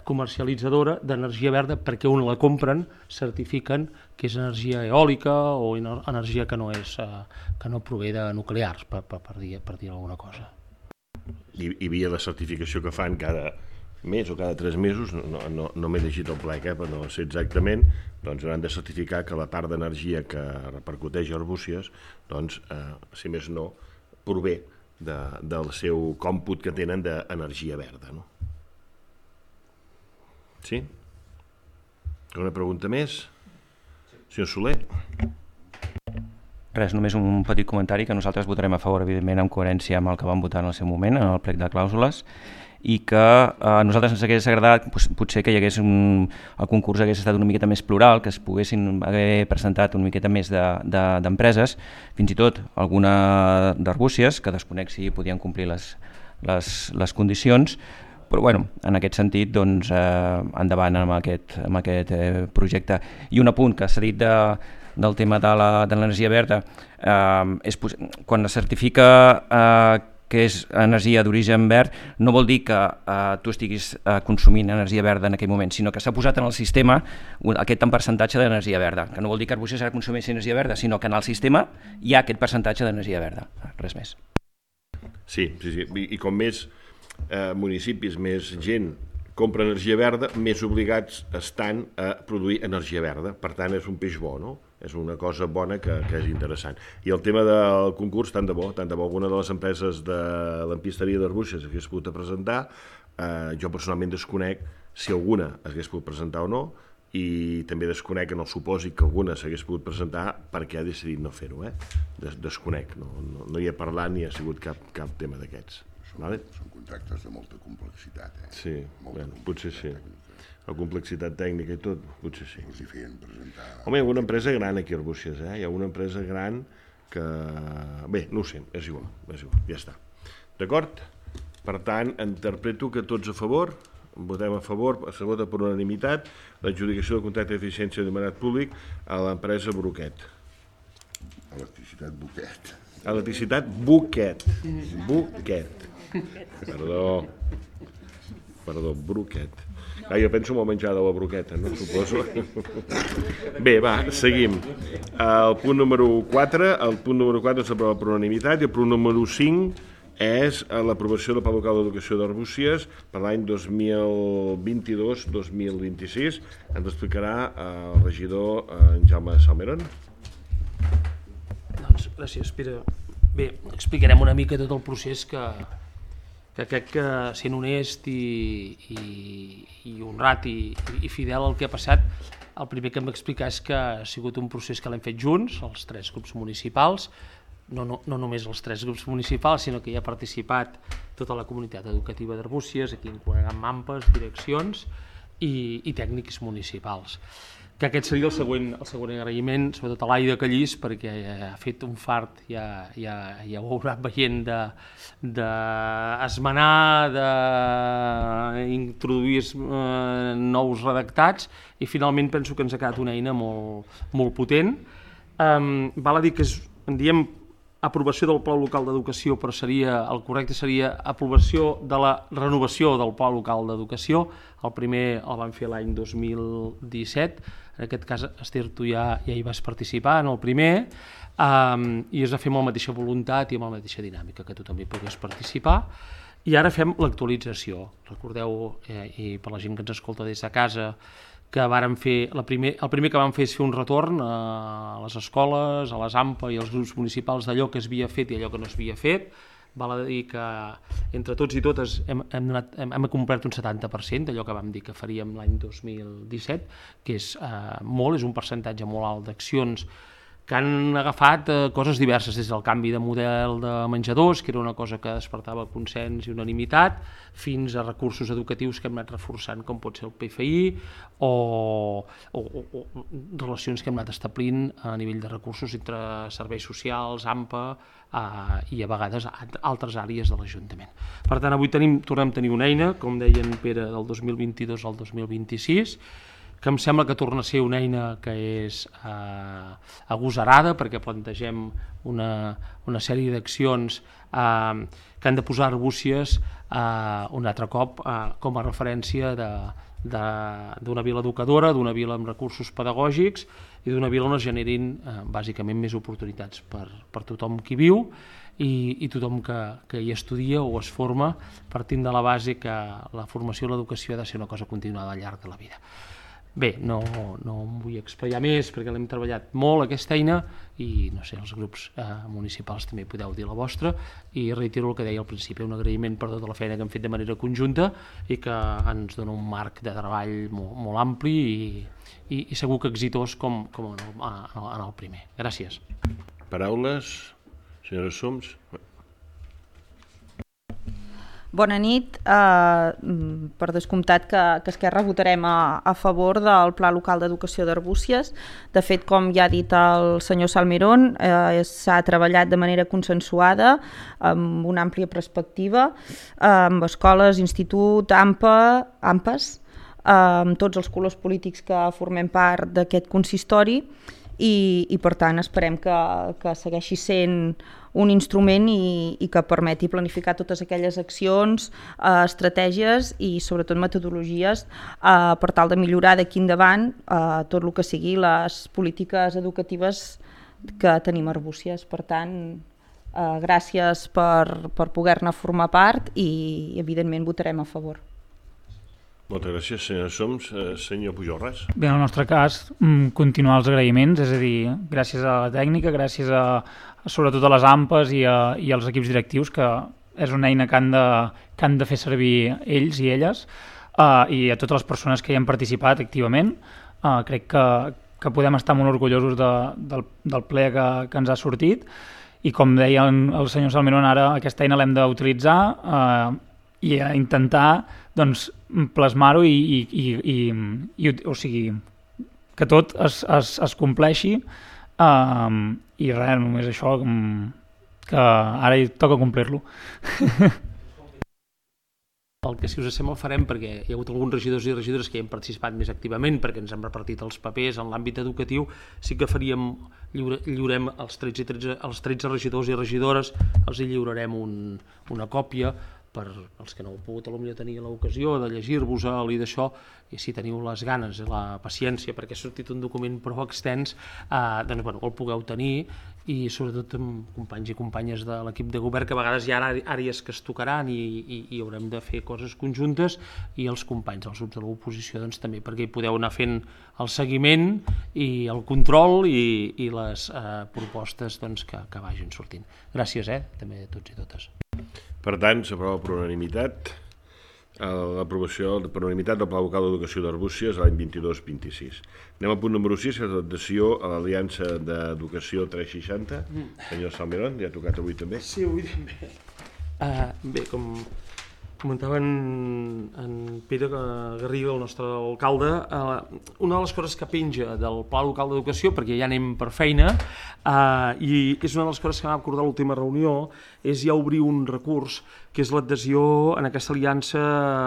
comercialitzadora d'energia verda perquè on la compren certifiquen que és energia eòlica o energia que no és eh, que no prové de nuclears, per, per, per, dir, per dir alguna cosa. I, i via la certificació que fan cada mes o cada tres mesos, no, no, no m'he llegit el plec, eh, però no sé exactament, doncs hauran de certificar que la part d'energia que repercuteix a Arbúcies, doncs, eh, si més no, prové de, del seu còmput que tenen d'energia verda, no? Sí? Una pregunta més? Senyor Soler? Res, només un petit comentari, que nosaltres votarem a favor, evidentment, en coherència amb el que vam votar en el seu moment, en el plec de clàusules, i que a nosaltres ens hagués agradat potser que hi hagués un, el concurs hagués estat una miqueta més plural, que es poguessin haver presentat una miqueta més d'empreses, de, de, fins i tot alguna d'Arbúcies, que desconec si podien complir les, les, les condicions, però bueno, en aquest sentit, doncs, eh, endavant amb aquest, amb aquest eh, projecte. I un apunt que s'ha dit de, del tema de l'energia verda, eh, és, quan es certifica eh, que és energia d'origen verd, no vol dir que eh, tu estiguis eh, consumint energia verda en aquell moment, sinó que s'ha posat en el sistema un, aquest tant percentatge d'energia verda, que no vol dir que Arbúcies ara consumeixi energia verda, sinó que en el sistema hi ha aquest percentatge d'energia verda, res més. Sí, sí, sí. I, i com més eh, municipis, més gent compra energia verda, més obligats estan a produir energia verda. Per tant, és un peix bo, no? És una cosa bona que, que és interessant. I el tema del concurs, tant de bo, tant de bo alguna de les empreses de l'empisteria d'Arbúcies hagués pogut presentar, eh, jo personalment desconec si alguna hagués pogut presentar o no, i també desconec en el supòsit que alguna s'hagués pogut presentar perquè ha decidit no fer-ho, eh? Des desconec, no, no, no hi he parlat ni ha sigut cap, cap tema d'aquests. Són, vale? Són contractes de molta complexitat, eh? Sí, molta bueno, potser sí. La complexitat tècnica i tot, potser sí. Els hi feien presentar... Home, hi ha una empresa gran aquí a Arbúcies, eh? Hi ha una empresa gran que... Bé, no ho sé, és igual, és igual, ja està. D'acord? Per tant, interpreto que tots a favor, votem a favor, se vota per unanimitat, l'adjudicació del contracte d'eficiència de mandat públic a l'empresa Broquet. Electricitat Boquet. Electricitat Boquet. Boquet. Perdó. Perdó, Broquet. Ah, jo penso molt menjar de la broqueta, no? Suposo. Bé, va, seguim. El punt número quatre, el punt número quatre s'aprova per unanimitat i el punt número cinc és l'aprovació del Pla Local d'Educació d'Arbúcies per l'any dos mil vint-i-dos dos mil vint-i-sis. Ens explicarà el regidor en Jaume Salmerón. Doncs gràcies, Pere. Bé, explicarem una mica tot el procés que, que crec que sent honest i, i, i honrat i, i fidel al que ha passat, el primer que hem d'explicar és que ha sigut un procés que l'hem fet junts, els tres grups municipals, no, no, no només els tres grups municipals, sinó que hi ha participat tota la comunitat educativa d'Arbúcies, aquí incloent AMPAs, direccions i, i tècnics municipals. Que aquest seria el següent, el següent agraïment, sobretot a l'Aida Callís, perquè ha fet un fart, ja, ja, ja ho haurà veient, d'esmenar, de, d'introduir eh, nous redactats, i finalment penso que ens ha quedat una eina molt, molt potent. Um, val a dir que és, en diem aprovació del Pla Local d'Educació, però seria, el correcte seria aprovació de la renovació del Pla Local d'Educació. El primer el vam fer l'any dos mil disset, en aquest cas, Esther, tu ja, ja hi vas participar en el primer, um, i es va fer amb la mateixa voluntat i amb la mateixa dinàmica, que tu també pogués participar. I ara fem l'actualització. Recordeu, eh, i per la gent que ens escolta des de casa, que vàrem fer, la primer, el primer que vam fer és fer un retorn a les escoles, a les AMPA i als grups municipals d'allò que es havia fet i allò que no s'havia fet. Val a dir que entre tots i totes hem, hem, anat, hem, hem complert un setanta per cent d'allò que vam dir que faríem l'any dos mil disset, que és eh, molt, és un percentatge molt alt d'accions que han agafat eh, coses diverses, des del canvi de model de menjadors, que era una cosa que despertava consens i unanimitat, fins a recursos educatius que hem anat reforçant, com pot ser el P F I, o, o, o, o relacions que hem anat establint a nivell de recursos entre serveis socials, AMPA, eh, i a vegades altres àrees de l'Ajuntament. Per tant, avui tenim, tornem a tenir una eina, com deien Pere, del dos mil vint-i-dos al dos mil vint-i-sis, que em sembla que torna a ser una eina que és eh, agosarada, perquè plantegem una, una sèrie d'accions eh, que han de posar Arbúcies eh, un altre cop eh, com a referència de, de, d'una vila educadora, d'una vila amb recursos pedagògics i d'una vila on es generin eh, bàsicament més oportunitats per, per tothom qui viu i, i tothom que, que hi estudia o es forma, partint de la base que la formació i l'educació ha de ser una cosa continuada al llarg de la vida. Bé, no, no em vull explicar més perquè l'hem treballat molt aquesta eina i no sé, els grups eh, municipals també podeu dir la vostra i reitero el que deia al principi, un agraïment per tota la feina que hem fet de manera conjunta i que ens dona un marc de treball molt, molt ampli i, i, i segur que exitós com, com en, el, en el primer. Gràcies. Paraules, senyora Soms. Bona nit. Uh, per descomptat que, que Esquerra votarem a, a favor del Pla Local d'Educació d'Arbúcies. De fet, com ja ha dit el senyor Salmerón, uh, s'ha treballat de manera consensuada, amb una àmplia perspectiva, uh, amb escoles, institut, AMPA, AMPAs, uh, amb tots els colors polítics que formem part d'aquest consistori, i, i per tant esperem que, que segueixi sent un instrument i, i que permeti planificar totes aquelles accions, eh, estratègies i sobretot metodologies eh, per tal de millorar d'aquí endavant eh, tot el que sigui les polítiques educatives que tenim a Arbúcies. Per tant, eh, gràcies per, per poder-ne formar part i evidentment votarem a favor. Moltes gràcies, senyor Soms. Eh, senyor Pujolràs. Bé, en el nostre cas, continuar els agraïments, és a dir, gràcies a la tècnica, gràcies a, sobretot a les A M P Es i, a, i als equips directius, que és una eina que han de, que han de fer servir ells i elles, uh, i a totes les persones que hi han participat activament. Uh, crec que, que podem estar molt orgullosos de, del, del ple que, que ens ha sortit, i com deia el senyor Salmerón, ara aquesta eina l'hem d'utilitzar uh, i a intentar doncs, plasmar-ho i, i, i, i, i o sigui, que tot es, es, es compleixi, uh, i res, només això, que ara hi toca complir-lo. El que si us sembla farem, perquè hi ha hagut alguns regidors i regidores que hi han participat més activament perquè ens hem repartit els papers en l'àmbit educatiu, sí que faríem, lliure, lliurem els tretze, tretze, els tretze regidors i regidores, els hi lliurarem un, una còpia per als que no heu pogut potser tenir l'ocasió de llegir-vos-el i d'això, i si teniu les ganes i la paciència, perquè ha sortit un document prou extens, eh, doncs bueno, el pugueu tenir, i sobretot amb companys i companyes de l'equip de govern, que a vegades hi ha àrees que es tocaran i, i, i haurem de fer coses conjuntes, i els companys dels grups de l'oposició doncs, també, perquè hi podeu anar fent el seguiment i el control i, i les eh, propostes doncs, que, que vagin sortint. Gràcies, eh, també a tots i totes. Per tant, s'aprova per unanimitat l'aprovació per unanimitat del Pla Local d'Educació d'Arbúcies l'any vint-i-dos vint sis. Anem al punt número sis, que és l'adhesió a l'Aliança d'Educació tres seixanta. Senyor Salmerón, ja ha tocat avui també? Sí, avui també. Uh, bé, com comentava en, en Pere Garriga, el nostre alcalde, uh, una de les coses que penja del Pla Local d'Educació, perquè ja anem per feina, uh, i és una de les coses que vam acordar a l'última reunió, és ja obrir un recurs, que és l'adhesió en aquesta aliança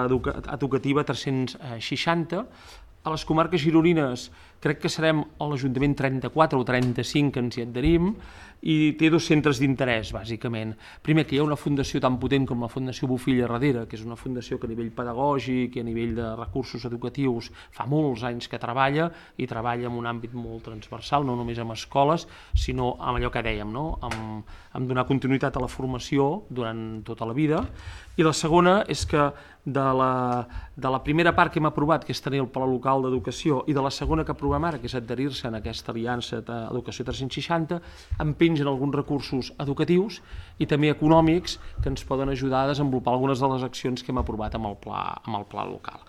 educa educativa tres-cents seixanta. A les comarques gironines crec que serem a l'Ajuntament trenta-quatre o trenta-cinc que ens hi adherim, i té dos centres d'interès, bàsicament. Primer, que hi ha una fundació tan potent com la Fundació Bofill a darrere, que és una fundació que a nivell pedagògic i a nivell de recursos educatius fa molts anys que treballa, i treballa en un àmbit molt transversal, no només amb escoles, sinó amb allò que dèiem, no? amb, amb donar continuïtat a la formació durant tota la vida. I la segona és que de la, de la primera part que hem aprovat, que és tenir el Pla Local d'Educació, i de la segona que aprovem ara, que és adherir-se en aquesta aliança d'Educació tres-cents seixanta, en pengen alguns recursos educatius i també econòmics que ens poden ajudar a desenvolupar algunes de les accions que hem aprovat amb el pla, amb el pla local.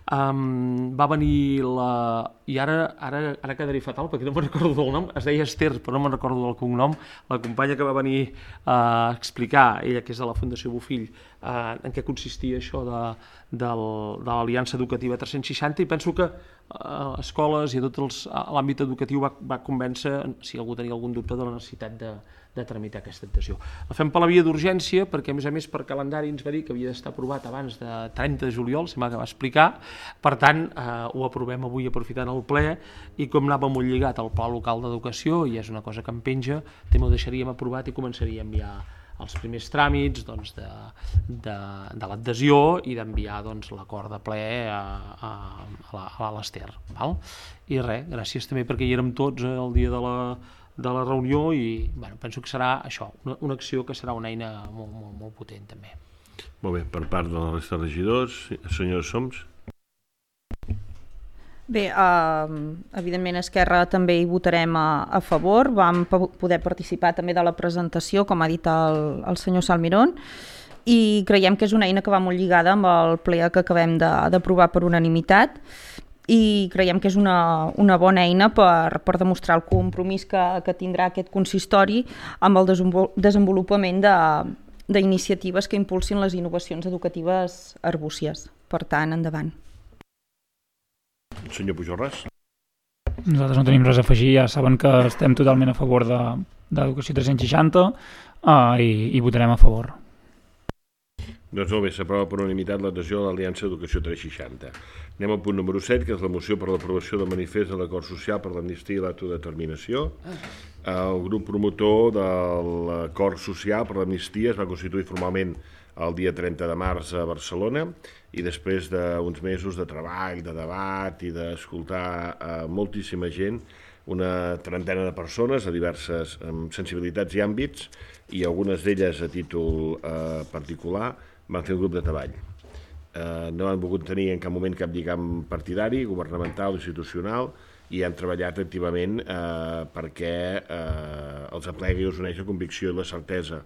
Um, va venir la... i ara, ara, ara quedaré fatal perquè no me'n recordo del nom, es deia Esther però no me'n recordo del cognom, la companya que va venir a explicar, ella que és de la Fundació Bofill, uh, en què consistia això de, de, de l'Aliança Educativa tres-cents seixanta, i penso que uh, escoles i a tot l'àmbit educatiu va, va convèncer, si algú tenia algun dubte, de la necessitat de, de tramitar aquesta adhesió. La fem per la via d'urgència perquè, a més a més, per calendari ens va dir que havia d'estar aprovat abans de trenta de juliol, sembla que va explicar. Per tant, eh, ho aprovem avui aprofitant el ple, i com anava molt lligat al Pla Local d'Educació, i és una cosa que em penja, també ho deixaríem aprovat i començaria a enviar els primers tràmits doncs, de, de, de l'adhesió i d'enviar doncs, l'acord de ple a, a, a l'Ester. I res, gràcies també perquè hi érem tots eh, el dia de la de la reunió, i bueno, penso que serà això, una, una acció que serà una eina molt, molt, molt potent també. Molt bé, per part de la resta de regidors, senyor Soms. Bé, eh, evidentment Esquerra també hi votarem a, a favor, vam poder participar també de la presentació, com ha dit el, el senyor Salmerón, i creiem que és una eina que va molt lligada amb el ple que acabem d'aprovar per unanimitat, i creiem que és una, una bona eina per, per demostrar el compromís que, que tindrà aquest consistori amb el desenvolupament d'iniciatives que impulsin les innovacions educatives arbúcies. Per tant, endavant. Senyor Pujolràs. Nosaltres no tenim res a afegir, ja saben que estem totalment a favor d'Educació tres-cents seixanta eh, i, i votarem a favor. Doncs molt bé, s'aprova per unanimitat l'adhesió a l'Aliança d'Educació tres seixanta. Anem al punt número set, que és la moció per l'aprovació del manifest de l'acord social per l'amnistia i l'autodeterminació. El grup promotor de l'acord social per l'amnistia es va constituir formalment el dia trenta de març a Barcelona i després d'uns mesos de treball, de debat i d'escoltar a moltíssima gent, una trentena de persones a diverses sensibilitats i àmbits, i algunes d'elles a títol eh, particular, van fer un grup de treball. Eh, no han volgut tenir en cap moment cap lligam partidari, governamental o institucional, i han treballat activament eh, perquè eh, els aplegui i us uneix la convicció i la certesa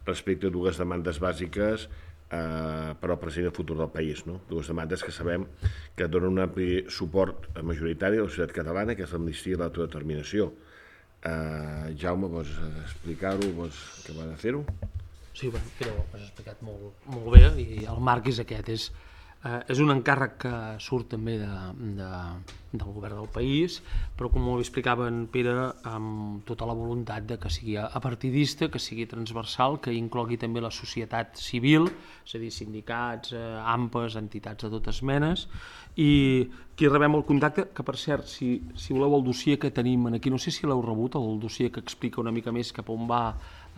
respecte a dues demandes bàsiques eh, per al present i el futur del país. No? Dues demandes que sabem que donen un ampli suport majoritari a la societat catalana, que és l'amnistia i l'autodeterminació. Eh, Jaume, vols explicar-ho? Vols acabar de fer-ho? Sí, bueno, però ho has explicat molt, molt bé i el marc és aquest. És, eh, és un encàrrec que surt també de, de, del govern del país, però com molt explicava en Pere, amb tota la voluntat de que sigui apartidista, que sigui transversal, que inclogui també la societat civil, és a dir, sindicats, eh, A M P Es, entitats de totes menes, i aquí rebem el contacte, que per cert, si, si voleu el dossier que tenim aquí, no sé si l'heu rebut, el dossier que explica una mica més cap on va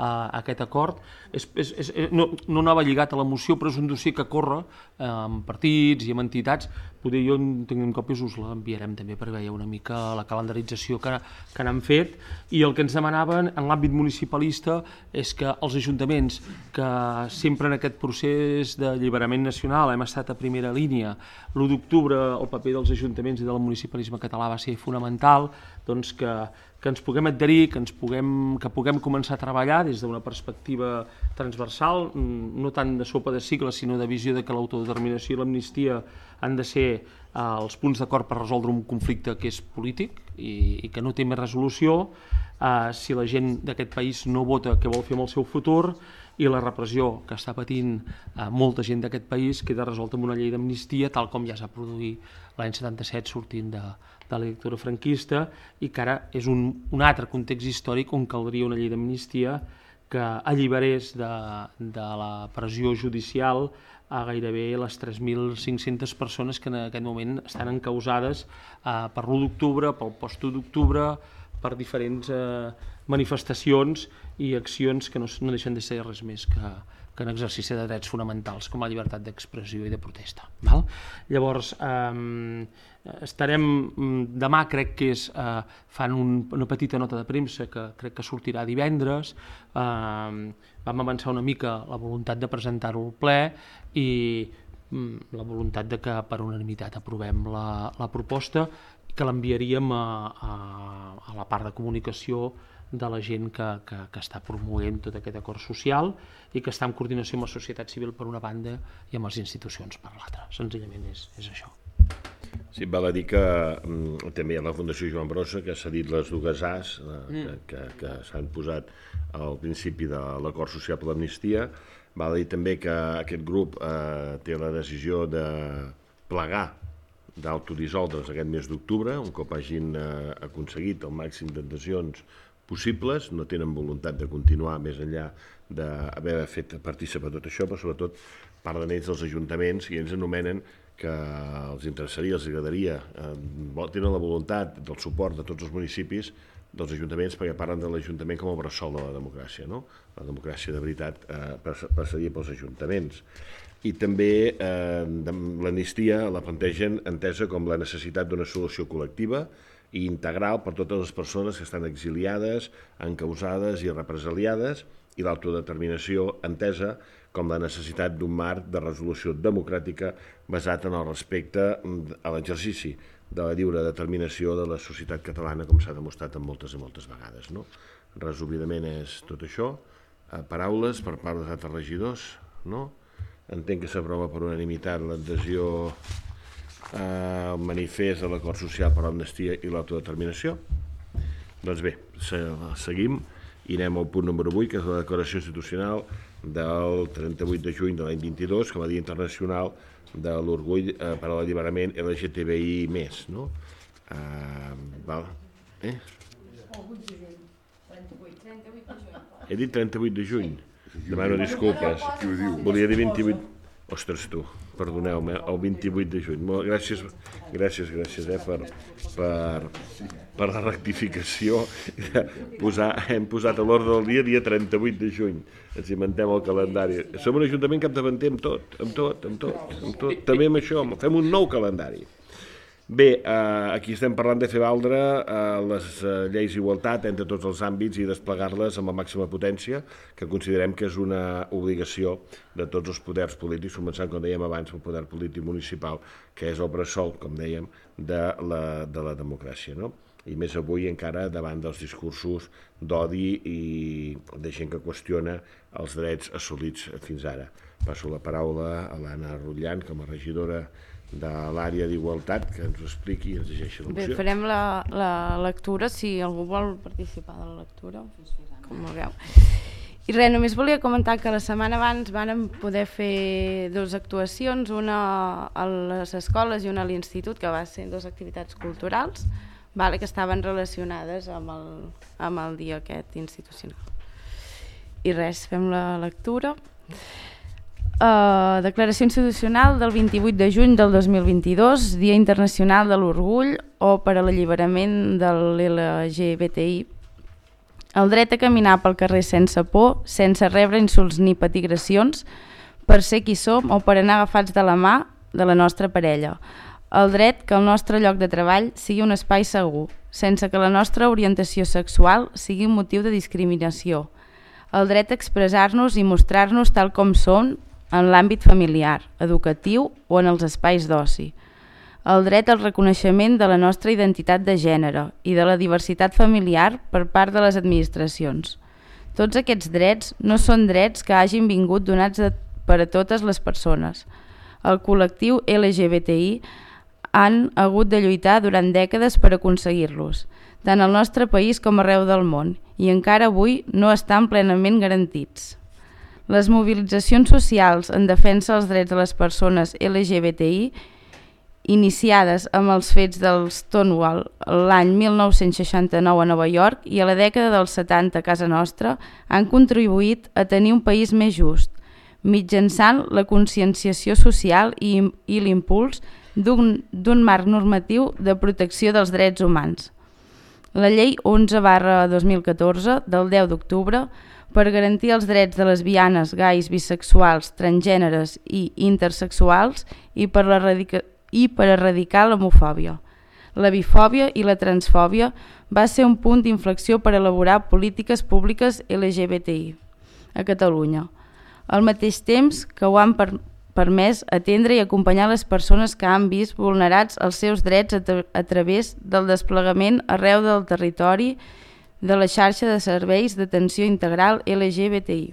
Uh, aquest acord, és, és, és, no, no anava lligat a la moció, però és un dossier que corre uh, amb partits i amb entitats. Poder jo en tinguem còpies, us l'enviarem també per veure una mica la calendarització que, que n'han fet, i el que ens demanaven en l'àmbit municipalista és que els ajuntaments, que sempre en aquest procés d'alliberament nacional hem estat a primera línia, l'u d'octubre el paper dels ajuntaments i del municipalisme català va ser fonamental, doncs que que ens puguem adherir, que, ens puguem, que puguem començar a treballar des d'una perspectiva transversal, no tant de sopa de cicle, sinó de visió de que l'autodeterminació i l'amnistia han de ser eh, els punts d'acord per resoldre un conflicte que és polític i, i que no té més resolució, eh, si la gent d'aquest país no vota què vol fer amb el seu futur, i la repressió que està patint eh, molta gent d'aquest país queda resolta amb una llei d'amnistia, tal com ja s'ha produït l'any setanta-set sortint de, de la dictadura franquista, i que ara és un, un altre context històric on caldria una llei d'amnistia que alliberés de, de la pressió judicial a gairebé les tres mil cinc-centes persones que en aquest moment estan encausades eh, per l'u d'octubre, pel post-u d'octubre, per diferents eh, manifestacions i accions que no, no deixen de ser res més que, que en exercici de drets fonamentals com la llibertat d'expressió i de protesta. Val? Llavors, eh, estarem demà, crec que és, eh, fan un, una petita nota de premsa que crec que sortirà divendres, eh, vam avançar una mica la voluntat de presentar-ho al ple i mm, la voluntat de que per unanimitat aprovem la, la proposta, que l'enviaríem a, a, a la part de comunicació de la gent que, que, que està promovent tot aquest acord social i que està en coordinació amb la societat civil per una banda i amb les institucions per l'altra. Senzillament és, és això. Sí, val a dir que mm, també hi ha la Fundació Joan Brossa, que ha cedit les dues As eh, mm. que, que, que s'han posat al principi de l'acord social per l'amnistia. Val a dir també que aquest grup eh, té la decisió de plegar, d'autodissoldre's aquest mes d'octubre, un cop hagin eh, aconseguit el màxim d'adhesions possibles, no tenen voluntat de continuar més enllà d'haver fet participar tot això, però sobretot parlen ells dels ajuntaments i ells anomenen que els interessaria, els agradaria, eh, tenen la voluntat del suport de tots els municipis, dels ajuntaments, perquè parlen de l'Ajuntament com a bressol de la democràcia, no? La democràcia de veritat eh, passaria pels ajuntaments. I també eh, l'amnistia la plantegen entesa com la necessitat d'una solució col·lectiva i integral per totes les persones que estan exiliades, encausades i represaliades, i l'autodeterminació entesa com la necessitat d'un marc de resolució democràtica basat en el respecte a l'exercici de la lliure determinació de la societat catalana, com s'ha demostrat en moltes i moltes vegades. No? Resumidament és tot això. Eh, paraules per part dels altres regidors, no? Entenc que s'aprova per unanimitat l'adhesió al manifest de l'acord social per l'amnistia i l'autodeterminació. Doncs bé, seguim i anem al punt número vuit, que és la declaració institucional del trenta-vuit de juny de l'any vint-i-dos, com a Dia Internacional de l'Orgull per a l'Alliberament L G T B I més, no? Uh, val. Eh? He dit trenta-vuit de juny. Demano disculpes. Volia dir vint-i-vuit. Ostres, tu, perdoneu-me, el vint-i-vuit de juny. Molt, gràcies, gràcies, gràcies eh, per, per, per la rectificació. Posar, hem posat a l'ordre del dia dia trenta-vuit de juny. Ens inventem el calendari. Som un ajuntament capdavanter amb tot, amb tot, amb tot, amb tot. També amb això, fem un nou calendari. Bé, eh, aquí estem parlant de fer valdre eh, les eh, lleis d'igualtat entre tots els àmbits i desplegar-les amb la màxima potència, que considerem que és una obligació de tots els poders polítics, començant, com dèiem abans, el poder polític municipal, que és el bressol, com dèiem, de la, de la democràcia, no? I més avui encara davant dels discursos d'odi i de gent que qüestiona els drets assolits fins ara. Passo la paraula a l'Anna Rutllant, com a regidora de l'àrea d'igualtat, que ens ho expliqui i ens llegeixi la moció. Bé, farem la, la lectura, si algú vol participar de la lectura, com vulgueu. I res, només volia comentar que la setmana abans vàrem poder fer dues actuacions, una a les escoles i una a l'institut, que va ser dues activitats culturals, vale, que estaven relacionades amb el, amb el dia aquest institucional. I res, fem la lectura. Uh, declaració institucional del vint-i-vuit de juny del dos mil vint-i-dos, Dia Internacional de l'Orgull o per a l'alliberament de l'L G B T I. El dret a caminar pel carrer sense por, sense rebre insults ni patir agressions, per ser qui som o per anar agafats de la mà de la nostra parella. El dret que el nostre lloc de treball sigui un espai segur, sense que la nostra orientació sexual sigui un motiu de discriminació. El dret a expressar-nos i mostrar-nos tal com som en l'àmbit familiar, educatiu o en els espais d'oci. El dret al reconeixement de la nostra identitat de gènere i de la diversitat familiar per part de les administracions. Tots aquests drets no són drets que hagin vingut donats de, per a totes les persones. El col·lectiu L G B T I han hagut de lluitar durant dècades per aconseguir-los, tant al nostre país com arreu del món, i encara avui no estan plenament garantits. Les mobilitzacions socials en defensa dels drets de les persones L G B T I, iniciades amb els fets del Stonewall l'any mil nou-cents seixanta-nou a Nova York i a la dècada dels setanta a casa nostra, han contribuït a tenir un país més just, mitjançant la conscienciació social i, i l'impuls d'un marc normatiu de protecció dels drets humans. La llei onze barra dos mil catorze del deu d'octubre per garantir els drets de lesbianes, gais, bisexuals, transgèneres i intersexuals i per, i per erradicar l'homofòbia. La bifòbia i la transfòbia va ser un punt d'inflexió per elaborar polítiques públiques L G B T I a Catalunya, al mateix temps que ho han per, permès atendre i acompanyar les persones que han vist vulnerats els seus drets a, tra a través del desplegament arreu del territori de la xarxa de serveis d'atenció integral L G B T I.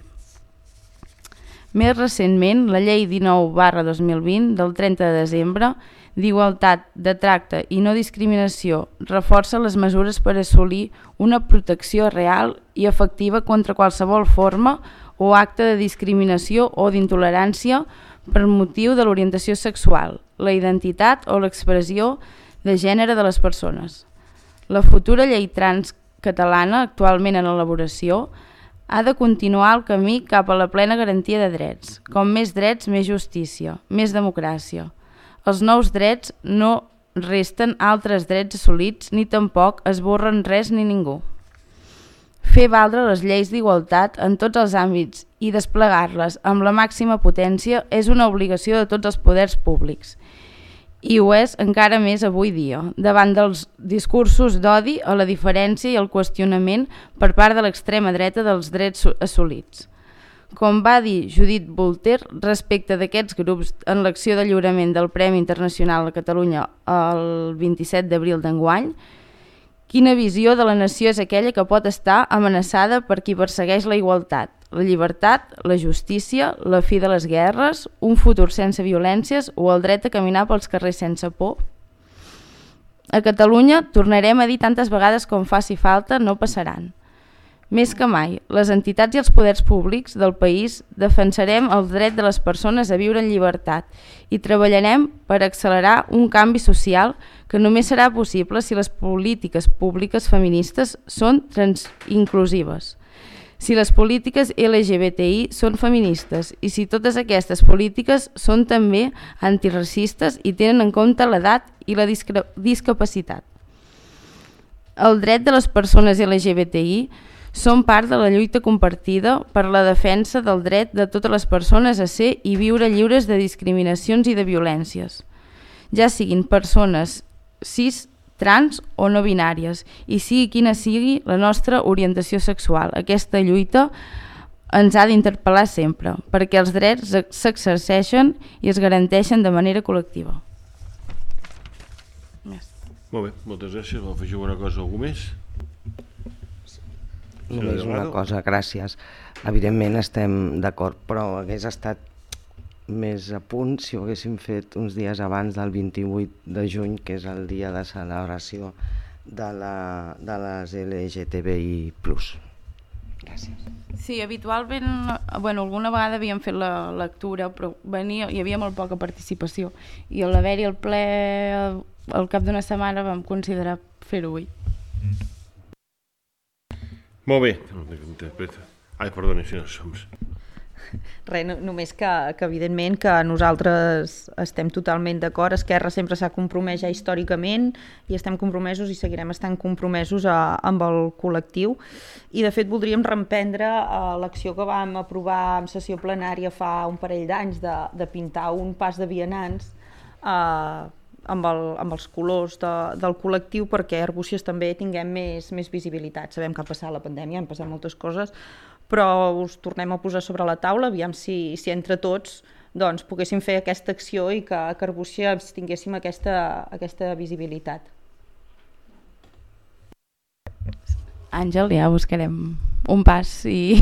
Més recentment, la llei dinou barra dos mil vint del trenta de desembre d'Igualtat de Tracte i No Discriminació reforça les mesures per assolir una protecció real i efectiva contra qualsevol forma o acte de discriminació o d'intolerància per motiu de l'orientació sexual, la identitat o l'expressió de gènere de les persones. La futura llei trans catalana, actualment en elaboració, ha de continuar el camí cap a la plena garantia de drets. Com més drets, més justícia, més democràcia. Els nous drets no resten altres drets assolits ni tampoc esborren res ni ningú. Fer valdre les lleis d'igualtat en tots els àmbits i desplegar-les amb la màxima potència és una obligació de tots els poders públics. I ho és encara més avui dia, davant dels discursos d'odi a la diferència i el qüestionament per part de l'extrema dreta dels drets assolits. Com va dir Judith Butler respecte d'aquests grups en l'acció de lliurament del Premi Internacional a Catalunya el vint-i-set d'abril d'enguany, quina visió de la nació és aquella que pot estar amenaçada per qui persegueix la igualtat, la llibertat, la justícia, la fi de les guerres, un futur sense violències o el dret a caminar pels carrers sense por? A Catalunya, tornarem a dir tantes vegades com faci falta, no passaran. Més que mai, les entitats i els poders públics del país defensarem el dret de les persones a viure en llibertat i treballarem per accelerar un canvi social que només serà possible si les polítiques públiques feministes són inclusives. si les polítiques L G B T I són feministes i si totes aquestes polítiques són també antiracistes i tenen en compte l'edat i la discre- discapacitat. El dret de les persones L G B T I són part de la lluita compartida per la defensa del dret de totes les persones a ser i viure lliures de discriminacions i de violències, ja siguin persones cis, trans o no binàries, i sigui quina sigui la nostra orientació sexual. Aquesta lluita ens ha d'interpel·lar sempre, perquè els drets s'exerceixen i es garanteixen de manera col·lectiva. Molt bé, moltes gràcies. Vol afegir alguna cosa, algú més? Només una cosa, gràcies. Evidentment estem d'acord, però hagués estat més a punt si ho haguéssim fet uns dies abans del vint-i-vuit de juny, que és el dia de celebració de, la, de les L G T B I plus. Gràcies. Sí, habitualment, bueno, alguna vegada havíem fet la lectura, però venia, hi havia molt poca participació, i al haver-hi el ple al cap d'una setmana vam considerar fer-ho avui. Molt bé. Ai, perdoni, si no som... Res, no, només que, que evidentment que nosaltres estem totalment d'acord. Esquerra sempre s'ha compromès ja històricament i estem compromesos i seguirem estant compromesos a, amb el col·lectiu, i de fet voldríem reemprendre uh, l'acció que vam aprovar en sessió plenària fa un parell d'anys de, de pintar un pas de vianants uh, amb, el, amb els colors de, del col·lectiu, perquè a Arbúcies també tinguem més, més visibilitat. Sabem que ha passat la pandèmia, han passat moltes coses, però us tornem a posar sobre la taula, aviam si, si entre tots doncs, poguéssim fer aquesta acció i que a Arbúcies tinguéssim aquesta, aquesta visibilitat. Àngel, ja buscarem un pas i...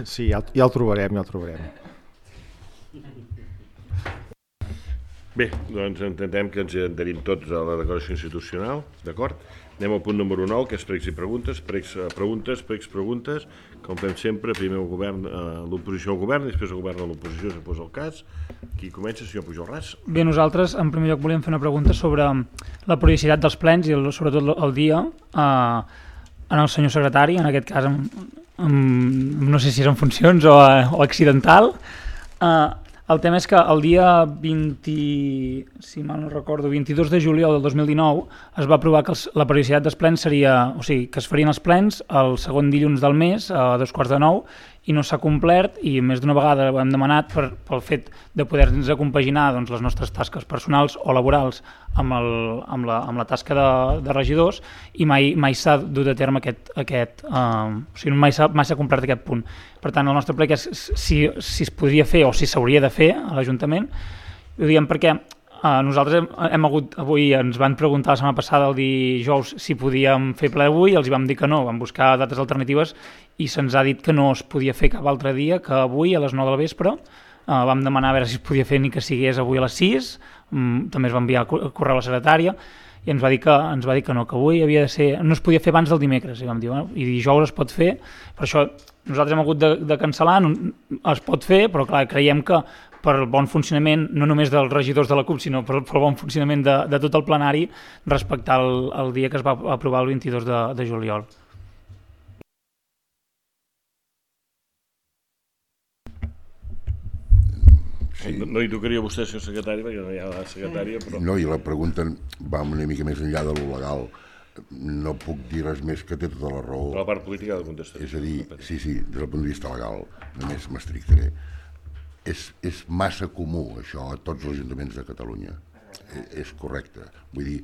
Sí, ja, ja el trobarem, ja el trobarem. Bé, doncs entenem que ens adherim tots a la declaració institucional, d'acord? Anem al punt número nou, que és pregs i preguntes, pregs, preguntes, pregs, preguntes, com fem sempre, primer el govern, eh, l'oposició al govern, després el govern a l'oposició, si fos el cas. Qui comença, senyor Pujolràs? Bé, nosaltres en primer lloc volíem fer una pregunta sobre la periodicitat dels plens i el, sobretot el dia eh, en el senyor secretari, en aquest cas amb, amb, no sé si és en funcions o, o accidental. Eh, El tema és que el dia vint, si mal no recordo, vint-i-dos de juliol del dos mil dinou es va aprovar que els, la periodicitat dels plens seria, o sigui, que es farien els plens el segon dilluns del mes a dos quarts de nou, i no s'ha complert, i més d'una vegada ho hem demanat per, pel fet de poder-nos compaginar doncs, les nostres tasques personals o laborals amb, el, amb, la, amb la tasca de, de regidors, i mai, mai s'ha dut a terme aquest, aquest uh, o sigui, mai s'ha mai s'ha complert aquest punt. Per tant, el nostre ple que és si, si es podria fer o si s'hauria de fer a l'Ajuntament, ho diem perquè Uh, nosaltres hem, hem hagut, avui ens van preguntar la setmana passada, el dijous, si podíem fer ple avui, els hi vam dir que no, vam buscar dates alternatives i se'ns ha dit que no es podia fer cap altre dia que avui a les nou del vespre. Uh, vam demanar a veure si es podia fer ni que sigués avui a les sis, um, també es va enviar el correu a la secretària i ens va dir que, ens va dir que no, que avui havia de ser, no es podia fer abans del dimecres, i vam dir, bueno, i dijous es pot fer, per això nosaltres hem hagut de, de cancel·lar, no, es pot fer, però clar, creiem que per el bon funcionament, no només dels regidors de la CUP, sinó per, per el bon funcionament de, de tot el plenari, respectar el, el dia que es va aprovar el vint-i-dos de, de juliol. Sí. No, no hi tocaria a vostè, senyor secretari, perquè no hi ha la secretària, però... No, i la pregunta va una mica més enllà de lo legal. No puc dir res més, que té tota la raó. La part política ha de contestar. És a dir, sí, sí, des del punt de vista legal, només m'estrictaré. És, és massa comú, això, a tots els ajuntaments de Catalunya. És, és correcte. Vull dir,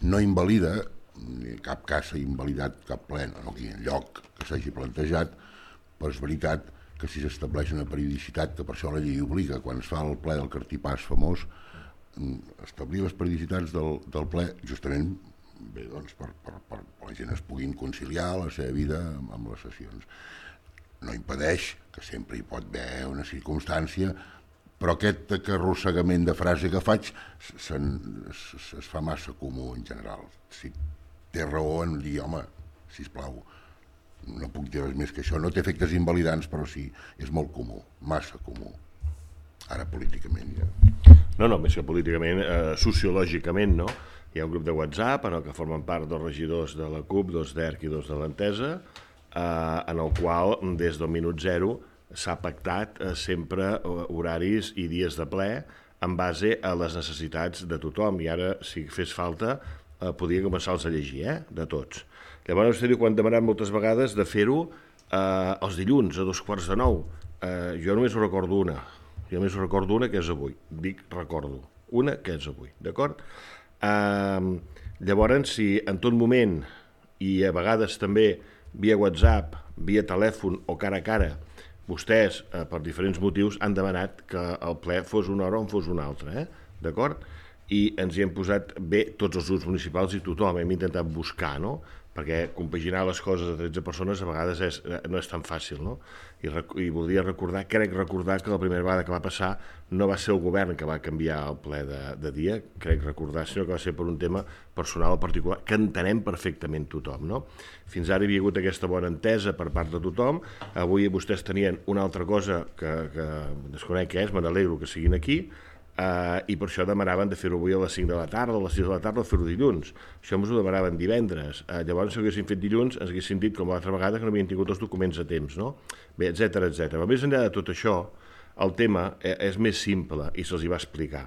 no invalida, en cap cas s'ha invalidat cap ple, no aquí enlloc que s'hagi plantejat, però és veritat que si s'estableix una periodicitat, que per això la llei obliga, quan es fa el ple del Cartipàs famós, establir les periodicitats del, del ple, justament bé, doncs, per, per, per la gent es puguin conciliar la seva vida amb, amb les sessions. No impedeix que sempre hi pot haver una circumstància, però aquest arrossegament de frase que faig es, es, es fa massa comú en general. Si té raó en dir, home, sisplau, no puc dir res més que això. No té efectes invalidants, però sí, és molt comú, massa comú. Ara políticament ja... No, no, més que políticament, eh, sociològicament, no? Hi ha un grup de WhatsApp en el que formen part dos regidors de la CUP, dos d'E R C i dos de l'Entesa, en el qual des del minut zero s'ha pactat sempre horaris i dies de ple en base a les necessitats de tothom, i ara, si fes falta, podria començar-los a llegir, eh? De tots. Llavors, vostè diu, quan he demanat moltes vegades de fer-ho eh, els dilluns, a dos quarts de nou. Eh, jo només ho recordo una. Jo només ho recordo una, que és avui. Dic, recordo. Una, que és avui. D'acord? Eh, llavors, si en tot moment, i a vegades també via WhatsApp, via telèfon o cara a cara, vostès, eh, per diferents motius, han demanat que el ple fos una hora o en fos una altra, eh? D'acord? I ens hi hem posat bé tots els grups municipals i tothom, hem intentat buscar, no? Perquè compaginar les coses a tretze persones a vegades és, no és tan fàcil, no? I, I voldria recordar, crec recordar que la primera vegada que va passar no va ser el govern que va canviar el ple de, de dia, crec recordar, sinó que va ser per un tema personal o particular, que entenem perfectament tothom, no? Fins ara hi havia hagut aquesta bona entesa per part de tothom, avui vostès tenien una altra cosa que, que desconec què és, me n'alegro que siguin aquí, Uh, i per això demanaven de fer-ho avui a les cinc de la tarda, a les sis de la tarda, o fer-ho dilluns. Això ens ho demanaven divendres. Uh, llavors, si ho haguéssim fet dilluns, ens haguéssim dit, com l'altra vegada, que no havien tingut els documents a temps, no? Bé, etcètera, etcètera. Però més enllà de tot això, el tema és més simple i se'ls hi va explicar.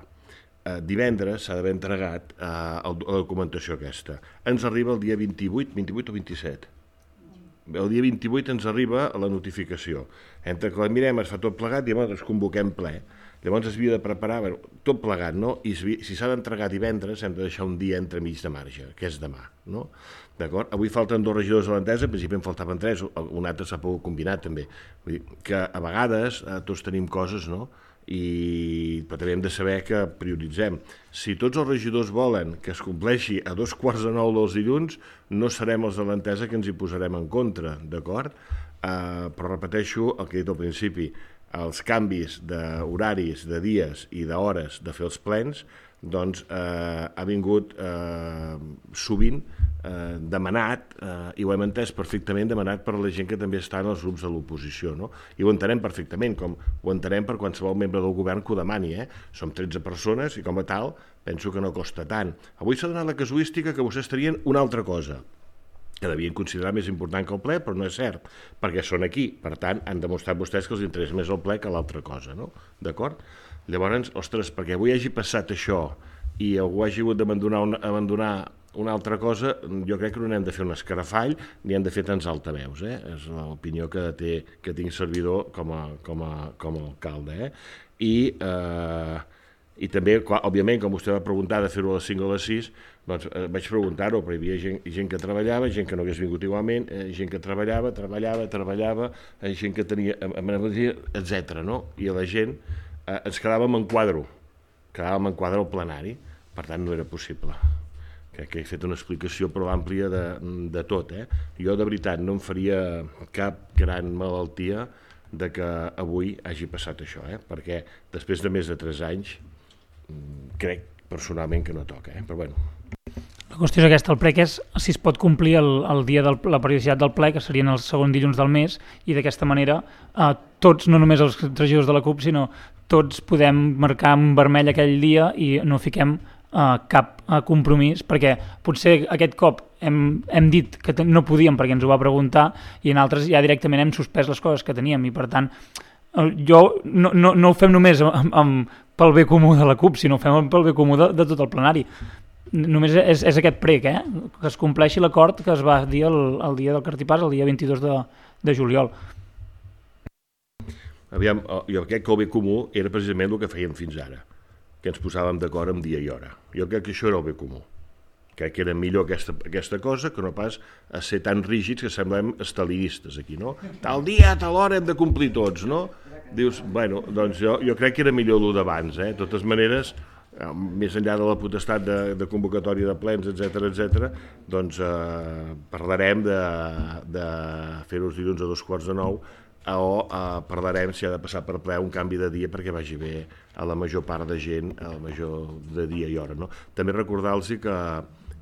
Uh, divendres s'ha d'haver entregat uh, la documentació aquesta. Ens arriba el dia vint-i-vuit, vint-i-vuit o vint-i-set? El dia vint-i-vuit ens arriba la notificació. Entre que la mirem, es fa tot plegat i llavors es convoquem ple. Llavors es havia de preparar, bueno, tot plegat, no? I si s'ha d'entregar divendres hem de deixar un dia entremig de marge, que és demà, no? D'acord? Avui falten dos regidors de l'entesa, en principi en faltaven tres, un altre s'ha pogut combinar també. Vull dir que a vegades eh, tots tenim coses, no? I però també hem de saber que prioritzem. Si tots els regidors volen que es compleixi a dos quarts de nou dels dilluns, no serem els de l'entesa que ens hi posarem en contra, d'acord? Eh, però repeteixo el que he dit al principi, els canvis d'horaris, de dies i d'hores de fer els plens, doncs eh, ha vingut eh, sovint eh, demanat, eh, i ho hem entès perfectament, demanat per la gent que també està en els grups de l'oposició, no? I ho entenem perfectament, com ho entenem per qualsevol membre del govern que ho demani, eh? Som tretze persones i com a tal penso que no costa tant. Avui s'ha donat la casuística que vostès tenien una altra cosa, que devien considerar més important que el ple, però no és cert, perquè són aquí. Per tant, han demostrat vostès que els interessa més el ple que l'altra cosa, no? D'acord? Llavors, ostres, perquè avui hagi passat això i algú hagi hagut d'abandonar una, abandonar una altra cosa, jo crec que no n'hem de fer un escarafall ni hem de fer tants altaveus, eh? És l'opinió que, té, que tinc servidor com a, com a, com a alcalde, eh? I... Eh, i també, òbviament, com vostè va preguntar de fer-ho a les cinc o a les sis, doncs eh, vaig preguntar-ho, però hi havia gent, gent que treballava, gent que no hagués vingut igualment, eh, gent que treballava, treballava, treballava, eh, gent que tenia, etcètera, no? I a la gent eh, ens quedàvem en quadro, quedàvem en quadre al plenari, per tant no era possible. Crec que he fet una explicació prou àmplia de, de tot, eh? Jo, de veritat, no em faria cap gran malaltia de que avui hagi passat això, eh? Perquè després de més de tres anys crec personalment que no toca, eh? Però bueno. La qüestió és aquesta, el ple, que és si es pot complir el, el dia de la periodicitat del ple, que serien el segon dilluns del mes, i d'aquesta manera eh, tots, no només els regidors de la CUP, sinó tots podem marcar en vermell aquell dia i no fiquem eh, cap eh, compromís, perquè potser aquest cop hem, hem dit que no podíem perquè ens ho va preguntar i en altres ja directament hem suspès les coses que teníem i per tant jo no, no, no ho fem només amb, amb, pel bé comú de la CUP, sinó ho fem pel bé comú de, de tot el plenari. Només és, és aquest prec, eh? Que es compleixi l'acord que es va dir el, el dia del cartipàs, el dia vint-i-dos de, de juliol. Aviam, jo crec que el bé comú era precisament el que fèiem fins ara, que ens posàvem d'acord amb dia i hora. Jo crec que això era el bé comú. Crec que era millor aquesta, aquesta cosa que no pas a ser tan rígids que semblem estalinistes aquí, no? Tal dia, a tal hora hem de complir tots, no? Dius, bueno, doncs jo, jo crec que era millor el d'abans, eh? De totes maneres, eh, més enllà de la potestat de, de convocatòria de plens, etcètera, etcètera, doncs eh, parlarem de, de fer-ho els dilluns a dos quarts de nou o eh, parlarem si ha de passar per ple un canvi de dia perquè vagi bé a la major part de gent, a la major de dia i hora, no? També recordar-los que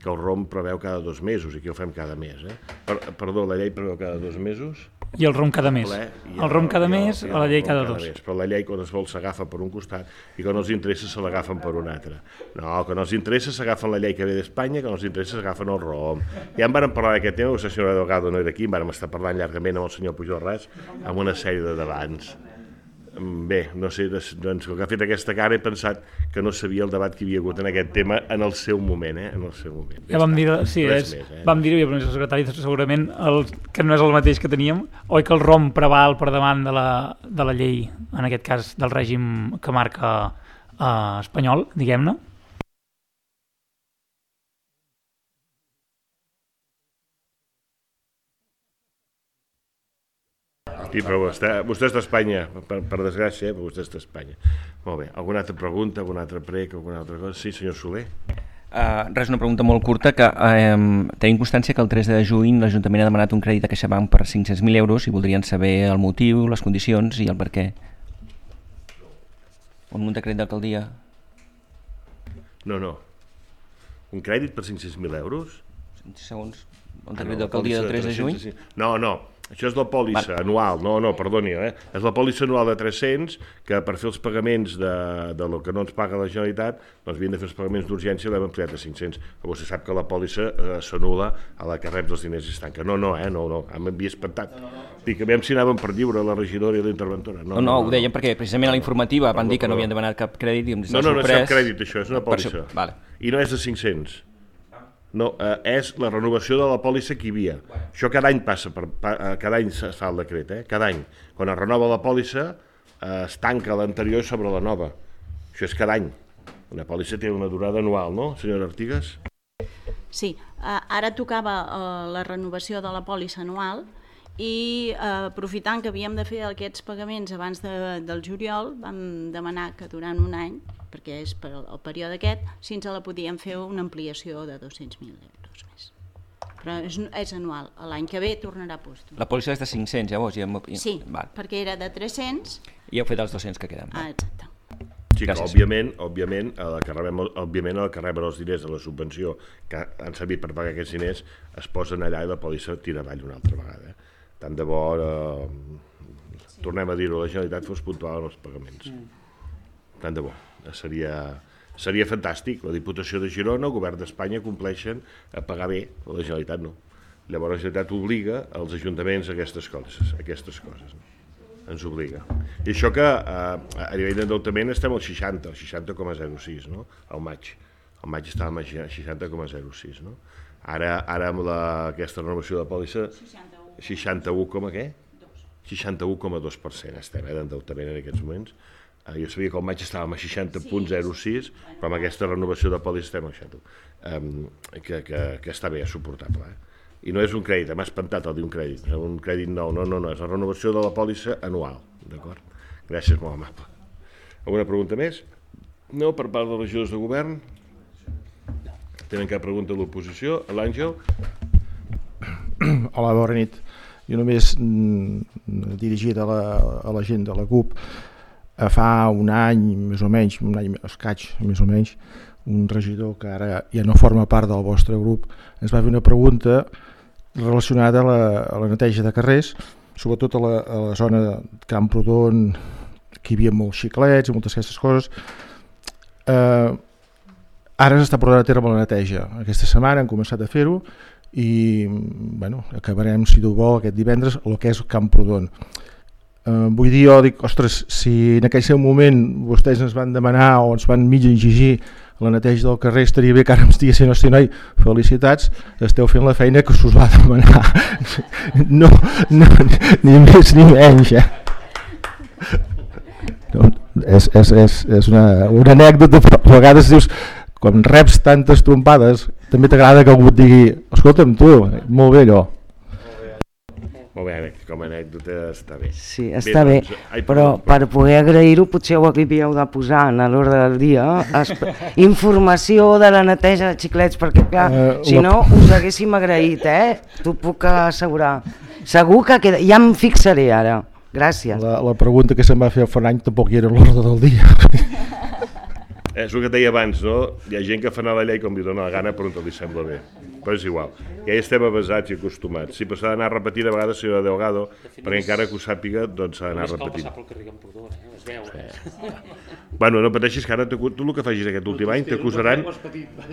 que el R O M preveu cada dos mesos i aquí ho fem cada mes, eh? Per, perdó, la llei preveu cada dos mesos? I el rom cada mes. ple, el rom cada i mes, i a la llei rom cada dos. Mes. Però la llei, quan es vol, s'agafa per un costat i quan els interessa se l'agafen per un altre. No, quan els interessa s'agafen la llei que ve d'Espanya, quan els interessa s'agafen el rom. Ja en vàrem parlar d'aquest tema, la senyora Delgado no era aquí, en vàrem estar parlant llargament amb el senyor Pujol Ras, amb una sèrie de debats. Bé, no sé, doncs, el que ha fet aquesta cara he pensat que no sabia el debat que hi havia hagut en aquest tema en el seu moment, eh? En el seu moment. Ja vam dir, sí, és, més, eh? vam dir-ho, i el secretari segurament el, que no és el mateix que teníem, oi que el rom preval per davant de la, de la llei, en aquest cas del règim que marca eh, espanyol, diguem-ne? Sí, però vostè, vostè és d'Espanya, per, per desgràcia, eh? Però vostè és d'Espanya. Molt bé, alguna altra pregunta, alguna altra prec, alguna altra cosa? Sí, senyor Soler. Uh, res, una pregunta molt curta, que uh, tenim constància que el tres de juny l'Ajuntament ha demanat un crèdit a CaixaBank per cinc-cents mil euros i voldrien saber el motiu, les condicions i el per què. Un decret d'alcaldia? No, no. Un crèdit per cinc-cents mil euros? Segons el decret d'alcaldia del tres de juny? No, no. Això és la pòlissa anual, no, no, perdoni, eh? És la pòlissa anual de tres-cents, que per fer els pagaments de, de lo que no ens paga la Generalitat, doncs havien de fer els pagaments d'urgència i l'hem ampliat a cinc-cents. Però vostè sap que la pòlissa eh, s'anul·la a la que reps els diners i es tanca. No, no, eh, no, no, m'havia espantat. Dic, a veure si anàvem per lliure, la regidora i la interventora. No, no, no, ho deien perquè precisament a la informativa van dir que no havien demanat cap crèdit i em No, no, no és cap crèdit, això, és una pòlissa. Vale. I no és de cinc-cents. No, eh, és la renovació de la pòlissa que hi havia. Això cada any passa, per, pa, cada any es fa el decret, eh? Cada any. Quan es renova la pòlissa, eh, es tanca l'anterior sobre la nova. Això és cada any. Una pòlissa té una durada anual, no, senyora Artigas? Sí, eh, ara tocava eh, la renovació de la pòlissa anual i eh, aprofitant que havíem de fer aquests pagaments abans de, del juliol, vam demanar que durant un any, perquè és per el període aquest, si ens la podíem fer una ampliació de dos-cents mil euros més. Però és, és anual, l'any que ve tornarà a postos. La pòlissa és de cinc-cents, llavors? Ja... Sí, Val. perquè era de tres-cents. I heu fet els dos-cents que queden. Ah, exacte. Sí, que òbviament, òbviament, a la que rebem, òbviament a la que reben els diners de la subvenció que han servit per pagar aquests diners es posen allà i la pòlissa tira avall una altra vegada. Tant de bo, eh, tornem a dir-ho, la Generalitat fos puntual en els pagaments. Tant de bo. Seria, seria fantàstic. La Diputació de Girona, el Govern d'Espanya compleixen a pagar bé, la Generalitat no. Llavors la Generalitat obliga als ajuntaments a aquestes coses, a aquestes coses. No? Ens obliga. I això que eh, a nivell d'endeutament estem al seixanta, al seixanta coma zero sis, no? Al maig. Al maig estàvem a seixanta coma zero sis, no? Ara, ara amb la, aquesta renovació de pòlissa, seixanta-u coma què? seixanta-u coma dos per cent estem eh, d'endeutament en aquests moments. Uh, jo sabia que al maig estàvem a seixanta coma zero sis, però amb aquesta renovació de pòlissa estem a seixanta, um, que, que, que està bé, és suportable. Eh? I no és un crèdit, m'ha espantat el dir un crèdit, un crèdit nou, no, no, no, és la renovació de la pòlissa anual, d'acord? Gràcies, molt amable. Alguna pregunta més? No, per part dels regidors de govern? Tenen cap pregunta de l'oposició? L'Àngel? Hola, bona nit. Jo només mm, dirigit a la, a la gent de la C U P, fa un any, més o menys, un any escaig, més o menys, un regidor que ara ja no forma part del vostre grup, ens va fer una pregunta relacionada a la, a la neteja de carrers, sobretot a la, a la zona de Camprodon, que hi havia molts xiclets i moltes aquestes coses. Eh, ara s'està portant a terme la neteja. Aquesta setmana hem començat a fer-ho i bueno, acabarem, si Déu vol, aquest divendres, el que és Camprodon. Uh, vull dir, jo dic, ostres, si en aquell seu moment vostès ens van demanar o ens van mig exigir la neteja del carrer, estaria bé que ara em estiguessin, hosti, noi, felicitats, esteu fent la feina que s'us va demanar. No, no, ni més ni menys, eh? No, és, és, és, és una, una anècdota, però a vegades dius, quan reps tantes trompades, també t'agrada que algú et digui, escolta'm tu, molt bé allò. Molt bé, com a anècdota està bé. Sí, està bé, bé ai, però per poder agrair-ho potser ho havíeu de posar en l'ordre del dia, informació de la neteja de xiclets, perquè clar, uh, si la... no us haguéssim agraït, eh? T'ho puc assegurar. Segur que queda... ja em fixaré ara. Gràcies. La, la pregunta que se'm va fer fa un any tampoc hi era en l'ordre del dia. És el que et deia abans, no? Hi ha gent que fa anar la llei com li dona la gana però on li sembla bé. Però és igual. Ja hi estem avasats i acostumats. Sí, però s'ha d'anar repetint a vegades, senyora Delgado, perquè encara que ho sàpiga, doncs s'ha d'anar repetint. Només cal passar pel carrer Camprodon, eh? Es veu. Sí. Bueno, no pateixis que ara tu el que facis aquest últim any t'acusaran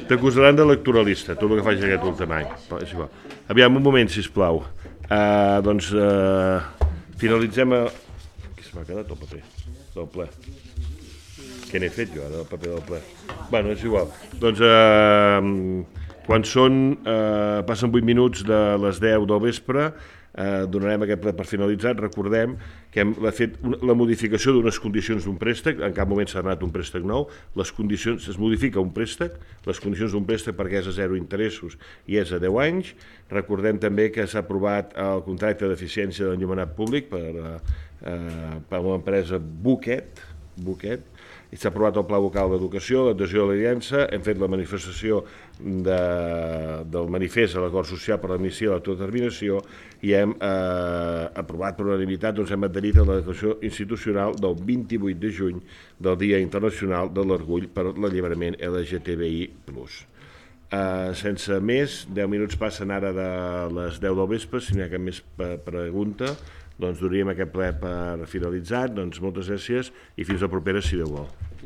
t'acusaran d'electoralista, tu el que facis aquest últim any. Però és igual. Aviam, un moment, sisplau. Uh, doncs uh, finalitzem a... Aquí se m'ha quedat el paper del ple. Què n'he fet jo ara, del paper del ple? Bueno, és igual. Doncs, eh, quan són, eh, passen vuit minuts de les deu del vespre, eh, donarem aquest ple per finalitzat. Recordem que hem fet una, la modificació d'unes condicions d'un préstec, en cap moment s'ha donat un préstec nou, les condicions, es modifica un préstec, les condicions d'un préstec perquè és a zero interessos i és a deu anys. Recordem també que s'ha aprovat el contracte d'eficiència d'enllumenat públic per, eh, per l'empresa Buquet, Buquet, i s'ha aprovat el Pla Local d'Educació, l'adhesió a l'Aliança, hem fet la manifestació de, del manifest a l'acord social per l'admissió a l'autodeterminació i hem eh, aprovat per unanimitat, doncs hem adherit a la declaració institucional del vint-i-vuit de juny del Dia Internacional de l'Orgull per l'Alliberament L G T B I plus. Uh, sense més, deu minuts passen ara de les deu del vespre, si n'hi ha cap més pregunta, doncs donaríem aquest ple per finalitzat, doncs moltes gràcies i fins la propera si Déu vol.